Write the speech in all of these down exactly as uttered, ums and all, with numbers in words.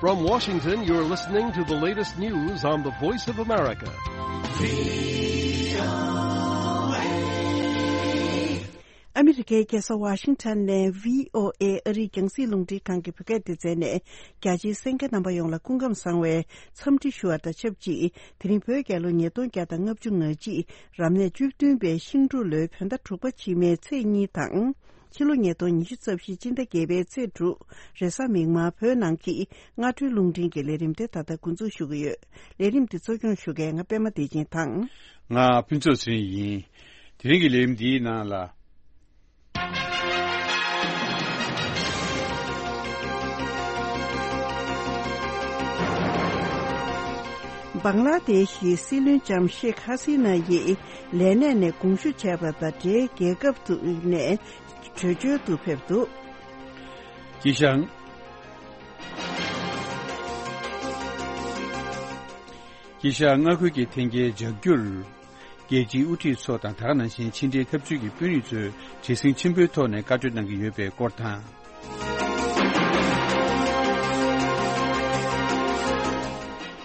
From Washington, you're listening to the latest news on the Voice of America. ཨ་མི་རི་ཀའི་རྒྱལ་ས་ཝ་ཤིང་ཊོན་ནས་བྷི་ཨོ་ཨེ་ཨ་རིའི་རྒྱང་སྲིང་རླུང་འཕྲིན་ཁང་གི་བོད་སྐད་སྡེ་ཚན་ནས། རྒྱ་ཆེའི་གསན་མཁན་རྣམ་པ་ཡོངས་ལ་སྐུ་ཁམས་བཟང་བའི་འཚམས་འདྲི་ཞུ་བ་དང་ཆབས་ཅིག་དེ་རིང་བོད་རྒྱལ་ལོ་ཉིས་སྟོང་བརྒྱ་དང་ལྔ་བཅུ་ང་གཅིག་རབ་གནས་བཅུ་བདུན་པའི་ཤིང་འབྲུག་ལོའི་བོད་ཟླ་དྲུག་པ་ཕྱི་མའི་ཚེས་གཉིས་དང་། ཕྱི་ལོ་ཉིས་སྟོང་ཉི་ཤུ་རྩ་བཞི་སྤྱི་ཟླ་བརྒྱད་པའི་ཚེས་དྲུག་རེས་གཟའ་མིག་དམར་བོད་ནང་གི་སྔ་དྲོའི་རླུང་འཕྲིན་གྱི་ལས་རིམ་དེ་ད་ལྟ་འགོ་འཛུགས་ཞུ་གི་ཡོད། ལས་རིམ་འདི་གཙོ་སྐྱོང་ཞུ་མཁན་ང་པད་མ་བདེ་ཆེན་དང་། ང་ཕུན་ཚོགས་ཚེ་རིང་ཡིན། དེ་རིང་གི་ལས་རིམ་འདིའི་ནང་ལ། བང་ལ་དེ་ཤི་སྲིད་བློན་ལྕམ་ཤེག་ཧ་སི་ན་ཡིས་ལས་གནས་ནས་དགོངས་ཞུ་བྱས་པ་དང་འབྲེལ། རྒྱལ་ཁབ་ཏུ་ནས་བྲོས་བྱོལ་དུ་ཕེབས་འདུག་དཀྱིལ་ཤང་། དཀྱིལ་ཤང་མངའ་ཁུལ་གྱི་འཐེན་འཁྱེར་འཇགས་རྒྱུར། རྒྱལ་སྤྱིའི་དབུ་ཁྲིད་ཚོ་དང་། ད་ག་ནང་བཞིན་ཕྱི་འབྲེལ་འཐབ་ཇུས་ཀྱི་དཔོན་རིགས་ཚོས་བྲེལ་ཟིང་ཆེན་པོའི་ཐོག་ནས་བཀའ་གྲོས་གནང་གི་ཡོད་པའི་སྐོར་དང་།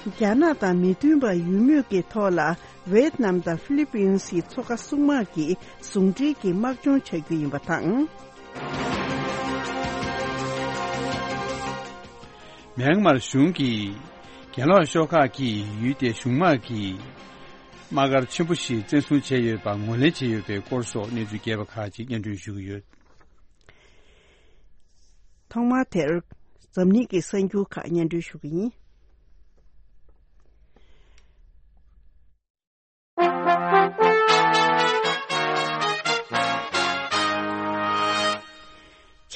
རྒྱ་ནག་དང་མི་མཐུན་པ་ཡོད་མུས་ཀྱི་ཐོག་ལ། ཝེད་ནམ་དང་ཧྥི་ལི་པིན་སི་མཚོ་ཁ་སྲུང་དམག་གིས་ཟུང་འབྲེལ་གྱིས་དམག་སྦྱོང་བྱ་རྒྱུ་ཡིན་པ་དང་། མེན་མར་གཞུང་གིས་གྱེན་ལོག་ཤོག་ཁག་གིས་ཡུལ་དེའི་གཞུང་དམག་གི་དམག་སྒར་ཆེན་པོ་ཞིག་བཙན་བཟུང་བྱས་ཡོད་པ་ངོས་ལེན་བྱས་ཡོད་པའི་སྐོར་སོགས་གནས་ཚུལ་རྒྱས་པ་ཁག་ཅིག་སྙན་སྒྲོན་ཞུ་གི་ཡོད། ཐོག་མར་དེར་འཛམ་གླིང་གི་གསར་འགྱུར་ཁག་སྙན་སྒྲོན་ཞུ་གི་ཡིན།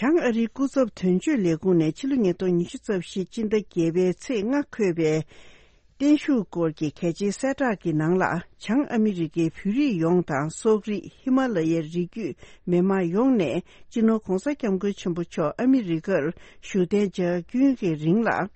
བྱང་ཨ་རིའི་སྐུ་ཚབ་དོན་གཅོད་ལས་ཁུངས་ནས་ཕྱི་ལོ་ཉིས་སྟོང་ཉི་ཤུ་རྩ་བཞི་སྤྱི་ཟླ་བརྒྱད་པའི་ཚེས་ལྔ་འཁོད་པའི་བརྟན་བཞུགས་སྐོར་གྱི་གལ་ཆེའི་གསལ་བསྒྲགས་ཀྱི་ནང་ལ། བྱང་ཨ་མི་རི་ཀའི་བོད་རིགས་ཡོངས་དང་། སོག་རིགས། ཧི་མ་ལ་ཡའི་རི་རྒྱུད་མི་མང་ཡོངས་ནས་སྤྱི་ནོར་༧གོང་ས་༧སྐྱབས་མགོན་ཆེན་པོ་མཆོག་ཨ་མི་རི་ཀར་བཞུགས་གདན་འཇགས་རྒྱུན་གྱི་རིང་ལ།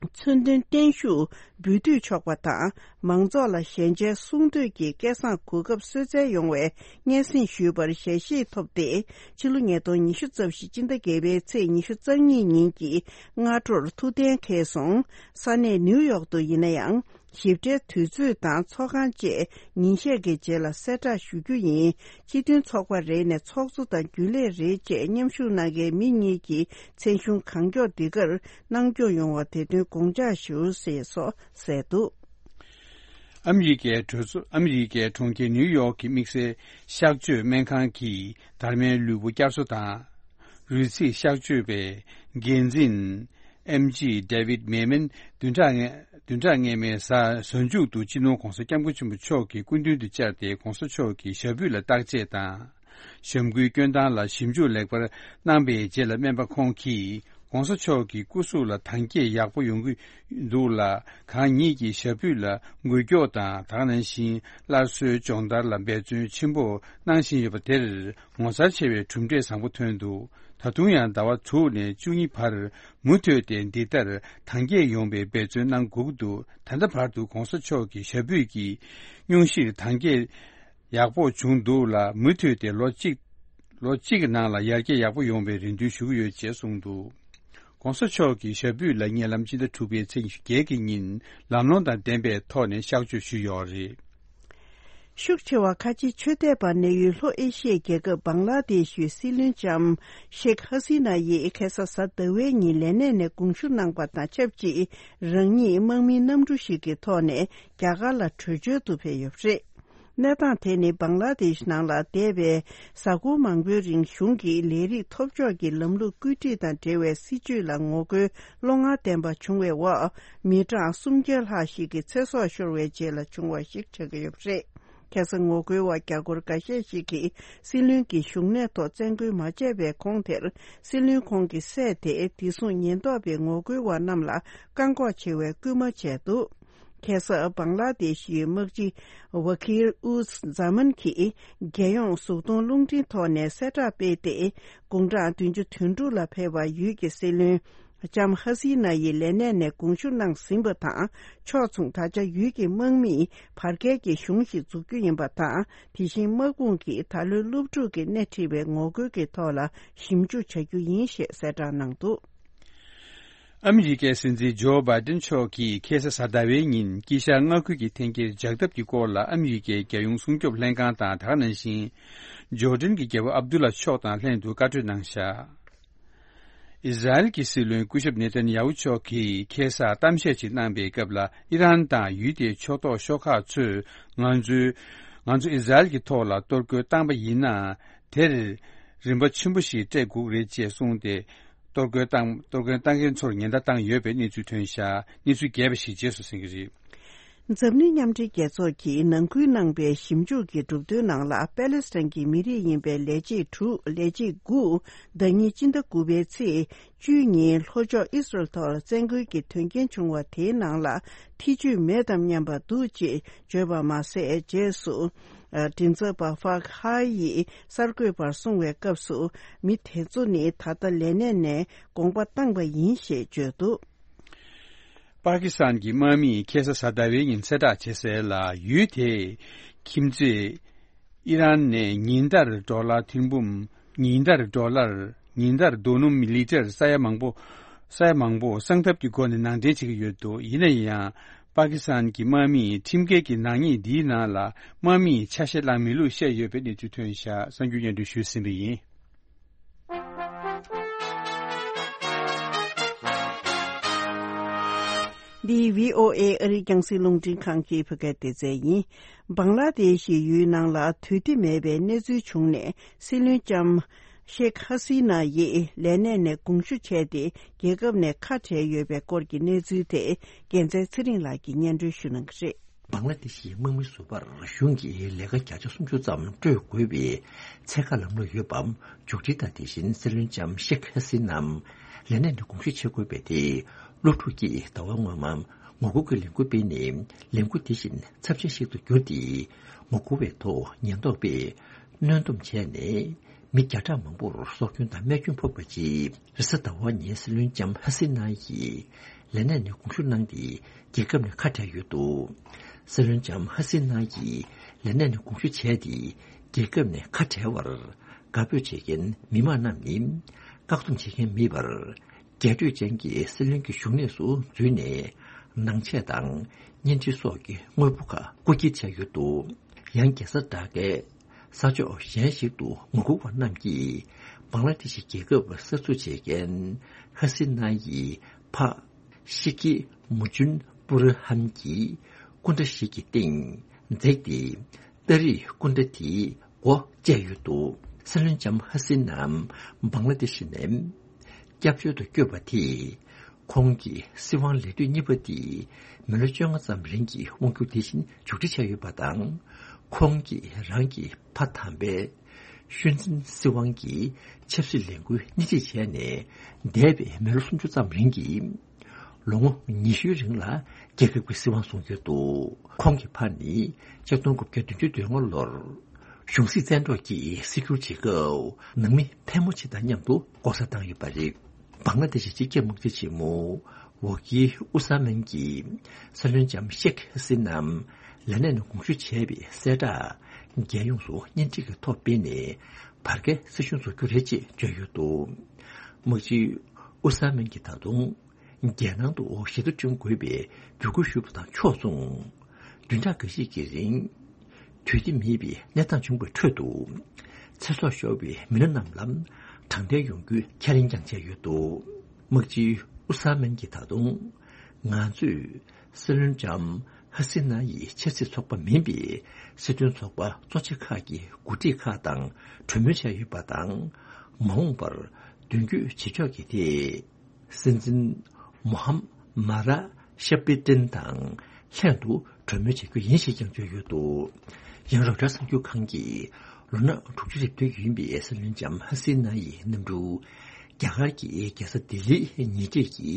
མཚོན་དོན་བརྟན་བཞུགས་འབུལ་སྡུད་ཆོག་པ་དང་། མང་ཚོགས་ལ་ཞལ་མཇལ་གསུང་སྡོད་ཀྱི་སྐལ་བཟང་གོ་སྐབས་གསོལ་སྩལ་ཡོང་བའི་སྙན་སེང་ཞུས་པར་ཞལ་བཞེས་ཐོབ་སྟེ། ཕྱི་ལོ་ཉིས་སྟོང་ཉི་ཤུ་རྩ་བཞི་སྤྱི་ཟླ་བརྒྱད་པའི་ཚེས་ཉི་ཤུ་རྩ་གཉིས་ཉིན་གྱི་སྔ་དྲོར་ཐུགས་གཏན་འཁེལ་སོང་། ས་གནས་ནིའུ་ཡོག་ཏུ་ཡིན་ན་ཡང་། ཞིབ་ཕྲའི་དུས་ཚོད་དང་ཚོགས་ཁང་བཅས་ཉིན་ཤས་ཀྱི་རྗེས་ལ་གསལ་བསྒྲགས་ཞུ་རྒྱུ་ཡིན། སྤྱི་མཐུན་ཚོགས་པ་རེ་ནས་ཚོགས་གཙོ་དང་རྒྱུན་ལས་རེ་བཅས་མཉམ་ཞུགས་གནང་མཁན་མི་གཉིས་ཀྱི་མཚན་གཞུང་གང་མགྱོགས་འདི་གར་གནང་སྐྱོང་ཡོང་བ་དེ་དོན་དགོངས་འཇགས་ཞུ་ཞེས་སོགས་གསལ་འདུག་ཨ་མི་རི་ཀའི་གྲོས་ཚོགས། ཨ་མི་རི་ཀའི་གྲོང་ཁྱེར་ནིའུ་ཡོག་གི་དམིགས་བསལ་གཤག་བཅོས་སྨན་ཁང་གིས་དར་མའི་ལུས་པོ་བསྐྱར་གསོ་དང་། རུས་ཚིགས་གཤག་བཅོས་པའི་འགན་འཛིན་ཨེམ་ཇི་ཌེ་ཝིད་མེ་མན་བདུན་ཕྲག་ལྔ། བདུན་ཕྲག་སྔ་མའི་གཟའ་གཟའ་མཇུག་ཏུ་སྤྱི་ནོར་༧གོང་ས་༧སྐྱབས་མགོན་ཆེན་པོ་མཆོག་གི་སྐུ་མདུན་དུ་བཅར་ཏེ། ༧གོང་ས་མཆོག་གི་ཞབས་པུས་ལ་བརྟག་དཔྱད་དང་། ཞབས་འཁོན་སྐྱོན་སྟངས་ལ་ཞིབ་འཇུག་ལེགས་པར་གནང་པའི་རྗེས་ལ། སྨན་པ་ཁོང་གིས་༧གོང་ས་མཆོག་གི་སྐུ་གཟུགས་ལ་དྭངས་སྐྱེད་ཡག་པོ་ཡོང་གི་འདུག་ལ། གང་ཉིད་ཀྱི་ཞབས་པུས་ལ་འགུལ་སྐྱོད་དང་། ད་ག་ནང་བཞིན་སླར་གསོའི་སྦྱོང་བརྡར་ལ་འབད་བརྩོན་ཆེན་པོ་གནང་བཞིན་ཡོད་པ་དེར། ངོ་མཚར་ཆེ་བའི་གྲུབ་འབྲས་བཟང་པོ་ཐོན་འདུག་ད་དུང་ཡང་ཟླ་བ་དྲུག་ནས་བཅུ་གཉིས་བར་མུ་མཐུད་དེ་འདི་ལྟར་དྭངས་སྐྱེད་ཡོང་བའི་འབད་བརྩོན་གནང་དགོས་ཀྱི་འདུག་ད་ལྟ་བར་དུ་༧གོང་ས་མཆོག་གི་ཞབས་པུས་ཀྱི་སྙུང་གཞིར་དྭངས་སྐྱེད་ཡག་པོ་བྱུང་འདུག་ལ། མུ་མཐུད་དེ་ལོ་གཅིག་ལོ་གཅིག་གི་ནང་ལ་ཡར་རྒྱས་ཡག་པོ་ཡོང་བའི་རེ་འདུན་ཞུ་གི་ཡོད་ཅེས་གསུངས་འདུག ༸གོང་ས་མཆོག་གི་ཞབས་པུས་ལ་ཉེ་ལམ་སྤྱི་ཟླ་དྲུག་པའི་ཚེས་ཉི་ཤུ་བརྒྱད་ཀྱི་ཉིན་ལམ་ལྷོང་དང་ལྡན་པའི་ཐོག་ནས་གཤག་བཅོས་ཞུས་ཡོད་རེད། ཤུགས་ཆེ་བ་ཁ་ཆེའི་ཆོས་དད་པ་གནས་ཡུལ་ལྷོ་ཨེ་ཤི་ཡའི་རྒྱལ་ཁབ་བང་ལ་དེ་ཤུའི་སྲིད་བློན་ལྕམ་ཤེག་ཧ་སི་ན་ཡིས་ཁ་སང་གཟའ་ཟླ་བའི་ཉིན་ལས་གནས་ནས་དགོངས་ཞུ་གནང་པ་དང་ཆབས་ཅིག་རང་ཉིད་དམག་མིའི་གནམ་གྲུ་ཞིག་གི་ཐོག་ནས་རྒྱ་གར་ལ་བྲོས་བྱོལ་དུ་ཕེབས་ཡོད་པ་རེད། གནས་སྟངས་དེ་ནི་བང་ལ་དེ་ཤི་ནང་ལ་འདས་པའི་གཟའ་འཁོར་མང་པོའི་རིང་གཞུང་གི་ལས་རིགས་ཐོབ་ཕྱོགས་ཀྱི་ལམ་ལུགས་བཀོད་སྒྲིག་དང་འབྲེལ་བའི་སྲིད་བྱུས་ལ་ངོ་རྒོལ་བློ་ངར་ལྡན་པ་བྱུང་བའི་འོག་མི་གྲངས་སུམ་བརྒྱ་ལྷག་ཞིག་གི་ཚེ་སྲོག་ཤོར་བའི་རྗེས་ལ་བྱུང་བ་ཞིག་ཆགས་ཀྱི་ཡོད་པ་རེད། ཁ་སང་ངོ་རྒོལ་བ་རྒྱ་སྒོར་འགའ་ཤས་ཤིག་གིས་སྲིད་བློན་གྱི་བཞུགས་གནས་ཐོག་བཙན་རྒོལ་མ་བྱས་པའི་གོང་དེར། སྲིད་བློན་ཁོང་གི་སྲས་དེ་བདེ་སྲུང་ཉེན་རྟོག་པའི་ངོ་རྒོལ་བ་རྣམས་ལ་བཀག་འགོག་བྱེད་པའི་སྐུལ་མ་བྱས་འདུག་ཁ་སང་བང་ལ་དེ་ཤི་ཡི་དམག་སྤྱི་ཝ་ཁིར་ཨུ་ཛ་མན་གྱིས་རྒྱལ་ཡོངས་གཟུགས་མཐོང་རླུང་འཕྲིན་ཐོག་ནས་གསལ་བསྒྲགས་སྤེལ་ཏེ། དགུང་གྲངས་བདུན་ཅུ་དོན་དྲུག་ལ་ཕེབས་པ་ཡུལ་གྱི་སྲིད་བློན་ལྕམ་ཧ་སི་ན་ཡིས་ལས་གནས་ནས་དགོངས་ཞུ་གནང་ཟིན་པ་དང་ཕྱོགས་མཚུངས། ད་ཆ་ཡུལ་གྱི་དམག་མིས་བར་བརྒལ་གྱི་གཞུང་ཞིག་འཛུགས་རྒྱུ་ཡིན་པ་དང་། དེ་བཞིན་དམག་དཔུང་གིས་ད་ལོའི་སློབ་ཕྲུག་གིས་སྣེ་ཁྲིད་པའི་ངོ་རྒོལ་གྱི་ཐོག་ལ་ཞིབ་འཇུག་བྱ་རྒྱུ་ཡིན་ཞེས་གསལ་བསྒྲགས་གནང་འདུག་ཨ་མི་རི་ཀའི་སྲིད་འཛིན་ཇོ་བྷའི་ཏིན་མཆོག་གིས་ཁ་སང་གཟའ་ཟླ་བའི་ཉིན་དཀྱིལ་ཤར་མངའ་ཁུལ་གྱི་འཐེན་འཁྱེར་འཇགས་ཐབས་ཀྱི་སྐོར་ལ་ཨ་མི་རི་ཀའི་རྒྱལ་ཡོངས་སྲུང་སྐྱོབ་ལྷན་ཁང་དང་། དེ་ག་ནང་བཞིན་ཇོར་ཌན་གྱི་རྒྱལ་པོ་ཨབ་དུ་ལ་མཆོག་དང་ལྷན་དུ་བཀའ་གྲོས་གནང་བཞག་ཨི་ཟ་རེལ་གྱི་སྲིད་བློན་སྐུ་ཞབས་ནེ་ཐན་ཡ་ཧུ་མཆོག་གིས་ཁ་སང་གཏམ་བཤད་ཅིག་གནང་པའི་སྐབས་ལ། ཨི་རན་དང་ཡུལ་དེའི་ཕྱོགས་གཏོགས་ཤོག་ཁག་ཚོས་ང་ཚོའི་ང་ཚོ་ཨི་ཟ་རེལ་གྱི་ཐོག་ལ་གཏོར་རྒོལ་བཏང་པ་ཡིན་ན། དེར་རིམ་པ་ཆེན་པོ་ཞིག་སྤྲད་དགོས་ཀྱི་རེད་ཅེས་གསུངས་ཏེ། གཏོར་རྒོལ་བཏང་གཏོར་རྒོལ་བཏང་མཁན་ཚོར་ཉེན་བརྡ་བཏང་ཡོད་པའི་གནས་ཚུལ་ཐོན་བཞག་གནས་ཚུལ་རྒྱས་པ་ཞིག་རྗེས་སུ་གསན་གྱི་རེད། འཛམ་གླིང་མཉམ་འབྲེལ་རྒྱལ་ཚོགས་ཀྱིས་ནང་ཁུལ་གནང་པའི་ཞིབ་འཇུག་གི་གྲུབ་དོན་ནང་ལ། པེ་ལེ་སི་ཐན་གྱི་མི་རིགས་ཡིན་པའི་ལས་བྱེད་དྲུག་ལས་བྱེད་དགུ་ཟླ་ཉིན་སྤྱི་ཟླ་དགུ་པའི་ཚེས་བཅུའི་ཉིན་ལྷོ་ཕྱོགས་ཨི་སི་རལ་ཐོག་བཙན་རྒོལ་གྱི་དོན་རྐྱེན་བྱུང་བ་དེའི་ནང་ལ་ཐེ་བྱུས་མེད་དམ་སྙམ་པ་འདུག་ཅེས་བརྗོད་པ་མ་ཟད། རྗེས་སུ་མགྲིན་ཚབ་པ་ཧྥག་ཧའེ་ཡིས་གསར་འགོད་པར་གསུངས་པའི་སྐབས་སུ། མི་དེ་ཚོ་ནི་ད་ལྟ་ལས་གནས་ནས་དགོངས་པ་བཏང་པ་ཡིན་ཞེས་བརྗོད་འདུག་པ་ཀི་སི་ཐན་གྱི་དམག་མིས་ཁ་སང་གཟའ་ཟླ་བའི་ཉིན་གསལ་བསྒྲགས་བྱས་གསལ་ལ། ཡུལ་དེའི་ཁྱིམ་མཚེས་ཨི་རན་ནས་ཉིན་ལྟར་ཌོ་ལར་ཐེར་འབུམ། ཉིན་ལྟར་ཌོ་ལར། ཉིན་ལྟར་རྡོ་སྣུམ་ལི་ཊར་ས་ཡ་མང་པོ། ས་ཡ་མང་པོ་གསང་ཐབས་ཀྱི་སྒོ་ནས་ནང་འདྲེན་བྱེད་ཀྱི་ཡོད་འདུག་ཡིན་ན་ཡང་། པ་ཀི་སི་ཐན་གྱི་དམག་མིས་ཁྲིམས་འགལ་གྱི་ནག་ཉེས་འདིའི་ནང་ལ་དམག་མིས་ཆ་ཤས་བླངས་མེད་ལུགས་བཤད་ཡོད་པའི་གནས་ཚུལ་ཐོན་བཞག་གསར་འགྱུར་སྙན་སྒྲོན་ཞུས་ཟིན་པ་ཡིན། འདི་བྷི་ཨོ་ཨེ་ཨ་རིའི་རྒྱང་སྲིང་རླུང་འཕྲིན་ཁང་གི་བོད་སྐད་སྡེ་ཚན་ཡིན། བང་ལ་དེ་ཤི་ཡུལ་ནང་ལ་དུས་བདེ་མེད་པའི་གནས་ཚུལ་བྱུང་ནས། སྲིད་བློན་ལྕམ་ཤེག་ཧ་སི་ན་ཡིས་ལས་གནས་ནས་དགོངས་ཞུ་བྱས་ཏེ། རྒྱལ་ཁབ་ནས་ཁ་བྲལ་ཡོད་པའི་སྐོར་གྱི་གནས་ཚུལ་དེ། རྒྱལ་མཚན་ཚེ་རིང་ལགས་ཀྱིས་སྙན་སྒྲོན་ཞུ་གནང་གི་རེད། བང་ལ་དེ་ཤི་དམག་མི་ཟུར་པར་གཞུང་གི་ལས་ཀ་བརྒྱ་ཆ་སུམ་ཅུ་ཙམ་སྤྲོད་དགོས་པའི་ཚད་བཀག་ལམ་ལུགས་ཡོད་པ་མཇུག་སྒྲིལ་དང་། དེ་བཞིན་སྲིད་བློན་ལྕམ་ཤེག་ཧ་སི་ནམ་ལས་གནས་ནས་དགོངས་ཞུ་བྱེད་དགོས་པའི་ཐད། སློབ་ཕྲུག་གིས་ཟླ་བ་སྔོན་མ་ངོ་རྒོལ་གྱི་ལས་འགུལ་སྤེལ་ནས། ལས་འགུལ་དེ་བཞིན་ཚབས་ཆེན་ཞིག་ཏུ་གྱུར་ཏེ། ངོ་རྒོལ་བའི་ཐོག་ཉེན་རྟོག་པས་གནོན་སྡོམ་བྱས་ནས། མི་བརྒྱ་ཕྲག་མང་པོར་སྲོག་སྐྱོན་དང་རྨས་སྐྱོན་ཕོག་པ་རྗེས། རེས་གཟའ་ཟླ་བ་ཉིན་སྲིད་བློན་ལྕམ་ཧ་སི་ན་ཡིས་ལས་གནས་ནས་དགོངས་ཞུ་གནང་སྟེ། རྒྱལ་ཁབ་ནས་ཁ་བྲལ་ཡོད་འདུག་སྲིད་བློན་ལྕམ་ཧ་སི་ན་ཡིས་ལས་གནས་ནས་དགོངས་ཞུ་བྱས་ཏེ། རྒྱལ་ཁབ་ནས་ཁ་བྲལ་བར་དགའ་འབོད་བྱེད་མཁན་མི་མང་རྣམས་ནི། བཀག་སྡོམ་བྱེད་མཁན་མེད་པར། རྒྱས་སྤྲོས་ཅན་གྱི་སྲིད་བློན་གྱི་བཞུགས་གནས་སུ་འཛུལ་ནས། ནང་ཆས་དང་བརྙན་འཕྲིན་སོགས་ཀྱི་དངོས་པོ་ཁག་རྐུ་འཁྱེར་བྱས་ཡོད་འདུག་ཡང་རྒྱལ་ས་ཌ་ཀའི་ས་ཕྱོགས་གཞན་ཞིག་ཏུ་ངོ་རྒོལ་བ་རྣམས་ཀྱིས། བང་ལ་དེ་ཤི་རྒྱལ་ཁབ་གསར་འཛུགས་བྱེད་མཁན་ཧ་སི་ན་ཡི་ཕ་ཤི་ཀི་མུ་ཅུན་པུ་ར་ཧན་གྱི་སྐུ་འདྲ་ཞིག་གི་སྟེང་འཛེགས་ཏེ། སྟ་རེས་སྐུ་འདྲ་དེའི་སྒོ་བཅད་ཡོད་འདུག་སྲིད་བློན་ལྕམ་ཧ་སི་ནམ་བང་ལ་དེ་ཤི་ནས་སྐྱབས་བཅོལ་དུ་བསྐྱོད་པ་དེས། ཁོང་གི་སྲིད་དབང་ལས་དུས་གཉིས་པ་དེ་མི་ལོ་བཅོ་ལྔ་ཙམ་རིང་གི་དབང་སྒྱུར་དེ་བཞིན་མཇུག་སྒྲིལ་བྱས་ཡོད་པ་དང་། ཁོང་གིས་རང་གི་ཕ་དམ་པའི་ཤུན་ཙིན་སྲིད་དབང་གི་ཆབ་སྲིད་ལས་འགུལ་སྣེ་ཁྲིད་བྱས་ནས། འདས་པའི་མི་ལོ་སུམ་ཅུ་ཙམ་རིང་གི་ལོ་ངོ་ཉི་ཤུའི་རིང་ལ་རྒྱལ་ཁབ་ཀྱི་སྲིད་དབང་བཟུང་ཡོད་འདུག་ཁོང་གི་ཕ་ནི་ཆིག་སྟོང་དགུ་བརྒྱ་བདུན་ཅུ་དོན་ལྔ་ལོར་གཞུང་སྲིད་བཙན་འཕྲོག་གིས་སྲིད་སྒྱུར་བྱེད་སྐབས། ནང་མི་ཕལ་མོ་ཆེ་དང་མཉམ་དུ་ལྐོག་ཟ་བཏང་ཡོད་པ་རེད། བང་ལ་དེ་ཤི་སྤྱི་ཁྱབ་དམག་སྡེ་ཆེན་མོ་ཝོ་ཀི་ཨུ་ས་མན་གྱིས་སྲིད་བློན་ལྕམ་ཤེག་ཧ་སི་ནམ་ལས་གནས་ནས་དགོངས་ཞུ་བྱས་པའི་གསལ་བསྒྲགས་རྒྱལ་ཡོངས་སུ་བརྙན་འཕྲིན་གྱི་ཐོག་སྤེལ་ནས། བར་བརྒལ་སྲིད་གཞུང་བཟོ་རྒྱུ་རེད་ཅེས་བརྗོད་ཡོད་འདུག་དམག་སྤྱི་ཨུ་ས་མན་གྱིས་ད་དུང་། རྒྱལ་ནང་དུ་ཞི་བདེ་བསྐྲུན་དགོས་པའི་འབོད་སྐུལ་ཞུས་པ་དང་ཕྱོགས་མཚུངས། བདུན་ཕྲག་འགའ་ཤས་ཀྱི་རིང་དུས་བདེ་མེད་པའི་གནས་སྟངས་བྱུང་བའི་ཁྲོད་དུ། ཚེ་སྲོག་ཤོར་བའི་མི་སྣ་རྣམས་ལ་དྲང་བདེན་ཡོང་རྒྱུའི་ཁས་ལེན་ཀྱང་བྱས་ཡོད་འདུག་དམག་སྤྱི་ཨུ་ས་མན་གྱིས་ད་དུང་། ང་ཚོས་སྲིད་བློན་ལྕམ་ཧ་སི་ན་ཡི་ཆབ་སྲིད་ཚོགས་པ་མིན་པའི་སྲིད་དོན་ཚོགས་པ་གཙོ་ཆེ་ཁག་གི་འགོ་ཁྲིད་ཁག་དང་གྲོས་མོལ་བྱས་ཡོད་པ་དང་། མ་འོངས་པར་མདུན་སྐྱོད་བྱེད་ཕྱོགས་ཀྱི་ཐད། སྲིད་འཛིན་མོ་ཧམ་མ་ར་ཤ་པི་ཏིན་དང་ལྷན་དུ་གྲོས་མོལ་བྱེད་རྒྱུ་ཡིན་ཞེས་ཀྱང་བརྗོད་ཡོད་འདུག་ཡང་རོའི་ཊར་གསར་འགྱུར་ཁང་གིས་ལོ་ན་དྲུག་ཅུ་རེ་བདུན་ཡིན་པའི་སྲིད་བློན་ལྕམ་ཧ་སི་ན་ཡི་གནམ་གྲུ། རྒྱ་གར་གྱི་རྒྱལ་ས་ལྡི་ལིའི་ཉེ་འཁྲིས་ཀྱི་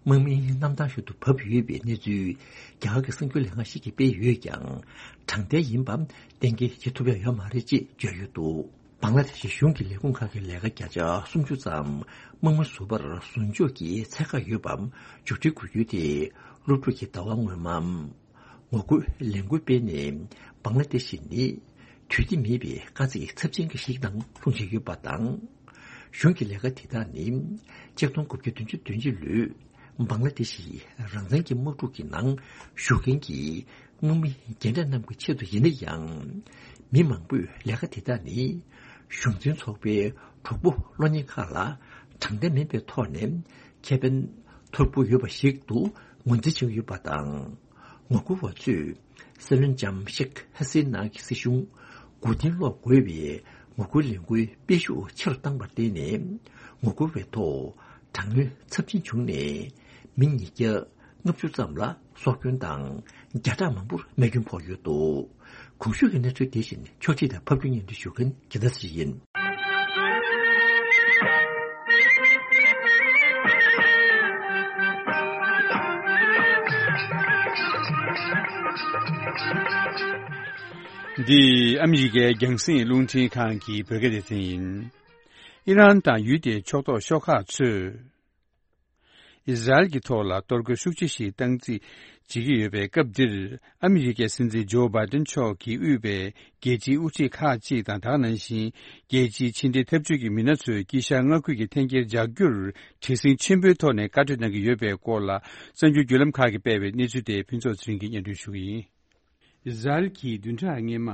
དམག་མིའི་གནམ་ཐང་ཞིག་ཏུ་བབས་ཡོད་པའི་གནས་ཚུལ། རྒྱ་གར་གྱི་གསར་འགྱུར་ལས་ཁང་ཞིག་གིས་སྤེལ་ཡོད་ཀྱང་། དྲང་བདེན་ཡིན་པ་གཏན་འཁེལ་བྱེད་ཐུབ་ཡ་ཡོད་མ་རེད་ཅེས་བརྗོད་ཡོད་འདུག་བང་ལ་དེ་ཤི་གཞུང་གི་ལས་ཁུངས་ཁག་གི་ལས་ཀ་བརྒྱ་ཆ་སུམ་ཅུ་ཙམ་དམག་མི་ཟུར་པར་ཟུར་འཇོག་གི་ཚད་བཀག་ཡོད་པ་མཇུག་སྒྲིལ་དགོས་རྒྱུ་དེ། སློབ་ཕྲུག་གིས་ཟླ་བ་སྔོན་མ་ངོ་རྒོལ་ལས་འགུལ་སྤེལ་ནས། བང་ལ་དེ་ཤི་ནི་དུས་བདེ་མེད་པའི་དཀའ་ཚེགས་ཚབས་ཆེན་གྱི་ཞིག་དང་ལྷུང་བཞིན་ཡོད་པ་དང་། གཞུང་གི་ལས་ཀ་དེ་དག་ནི་ཆིག་སྟོང་དགུ་བརྒྱ་བདུན་ཅུ་དོན་གཅིག་ལོའི་ བང་ལ་དེ་ཤི་རང་བཙན་གྱི་དམག་འཁྲུག་གི་ནང་ཞུགས་མཁན་གྱི་དམག་མི་རྒན་གྲས་རྣམས་ཀྱི་ཆེད་དུ་ཡིན་ན་ཡང་། མི་མང་པོས་ལས་ཀ་དེ་དག་ནི་གཞུང་འཛིན་ཚོགས་པའི་གྲོགས་པོ་གློག་བརྙན་ཁག་ལ་དྲང་བདེན་མིན་པའི་ཐོག་ནས་ཁེ་ཕན་ཐོར་བུ་ཡོད་པ་ཞིག་ཏུ་ངོས་འཛིན་བྱེད་ཀྱི་ཡོད་པ་དང་། ངོ་རྒོལ་བ་ཚོས་སྲིད་བློན་ལྕམ་ཤེག་ཧ་སི་ན་གྱི་སྲིད་གཞུང་མགོ་རྟིང་སློག་དགོས་པའི་ངོ་རྒོལ་ལས་འགུལ་སྤེལ་ཤུགས་ཆེ་རུ་བཏང་བར་བརྟེན་ནས། ངོ་རྒོལ་བའི་ཐོག་དྲག་གནོན་ཚབས་ཆེན་བྱུང་ནས། མི་ཉིས་བརྒྱ་ལྔ་བཅུ་ཙམ་ལ་སྲོག་སྐྱོན་དང་། བརྒྱ་ཕྲག་མང་པོར་རྨས་སྐྱོན་ཕོག་ཡོད་འདུག། གོང་ཞུས་ཀྱི་གནས་ཚུལ་དེ་བཞིན་ཕྱོགས་སྒྲིག་དང་ཕབ་སྒྱུར་སྙན་སྒྲོན་ཞུ་མཁན་རྒྱལ་མཚན་ཡིན། འདི་ཨ་མི་རི་ཀའི་རྒྱང་སྲིང་རླུང་འཕྲིན་ཁང་གི་བོད་སྐད་སྡེ་ཚན་ཡིན། ཨི་རན་དང་ཡུལ་དེའི་ཕྱོགས་གཏོགས་ཤོག་ཁག་ཚོས། ཨི་ཟ་རེལ་གྱི་ཐོག་ལ་གཏོར་རྒོལ་ཤུགས་ཆེ་ཞིག་བཏང་རྩིས་བྱེད་ཀྱི་ཡོད་པའི་སྐབས་འདིར། ཨ་མི་རི་ཀའི་སྲིད་འཛིན་ཇོ་བྷའི་ཏན་མཆོག་གིས་དབུས་པའི་རྒྱལ་སྤྱིའི་དབུ་ཁྲིད་ཁག་ཅིག་དང་། ད་ག་ནང་བཞིན་རྒྱལ་སྤྱིའི་ཕྱི་འབྲེལ་འཐབ་ཇུས་ཀྱི་མི་སྣ་ཚོས་དཀྱིལ་ཤར་མངའ་ཁུལ་གྱི་འཐེན་འཁྱེར་འཇགས་རྒྱུར་བྲེལ་ཟིང་ཆེན་པོའི་ཐོག་ནས་བཀའ་གྲོས་གནང་གི་ཡོད་པའི་སྐོར་ལ། གསར་འགྱུར་བརྒྱུད་ལམ་ཁག་གིས་སྤེལ་བའི་གནས་ཚུལ་དེ་ཕུན་ཚོགས་ཚེ་རིང་གིས་སྙན་སྒྲོན་ཞུ་གི་ཡིན། ཨི་ཟ་རེལ་གྱིས་བདུན་ཕྲག་སྔོན་མ།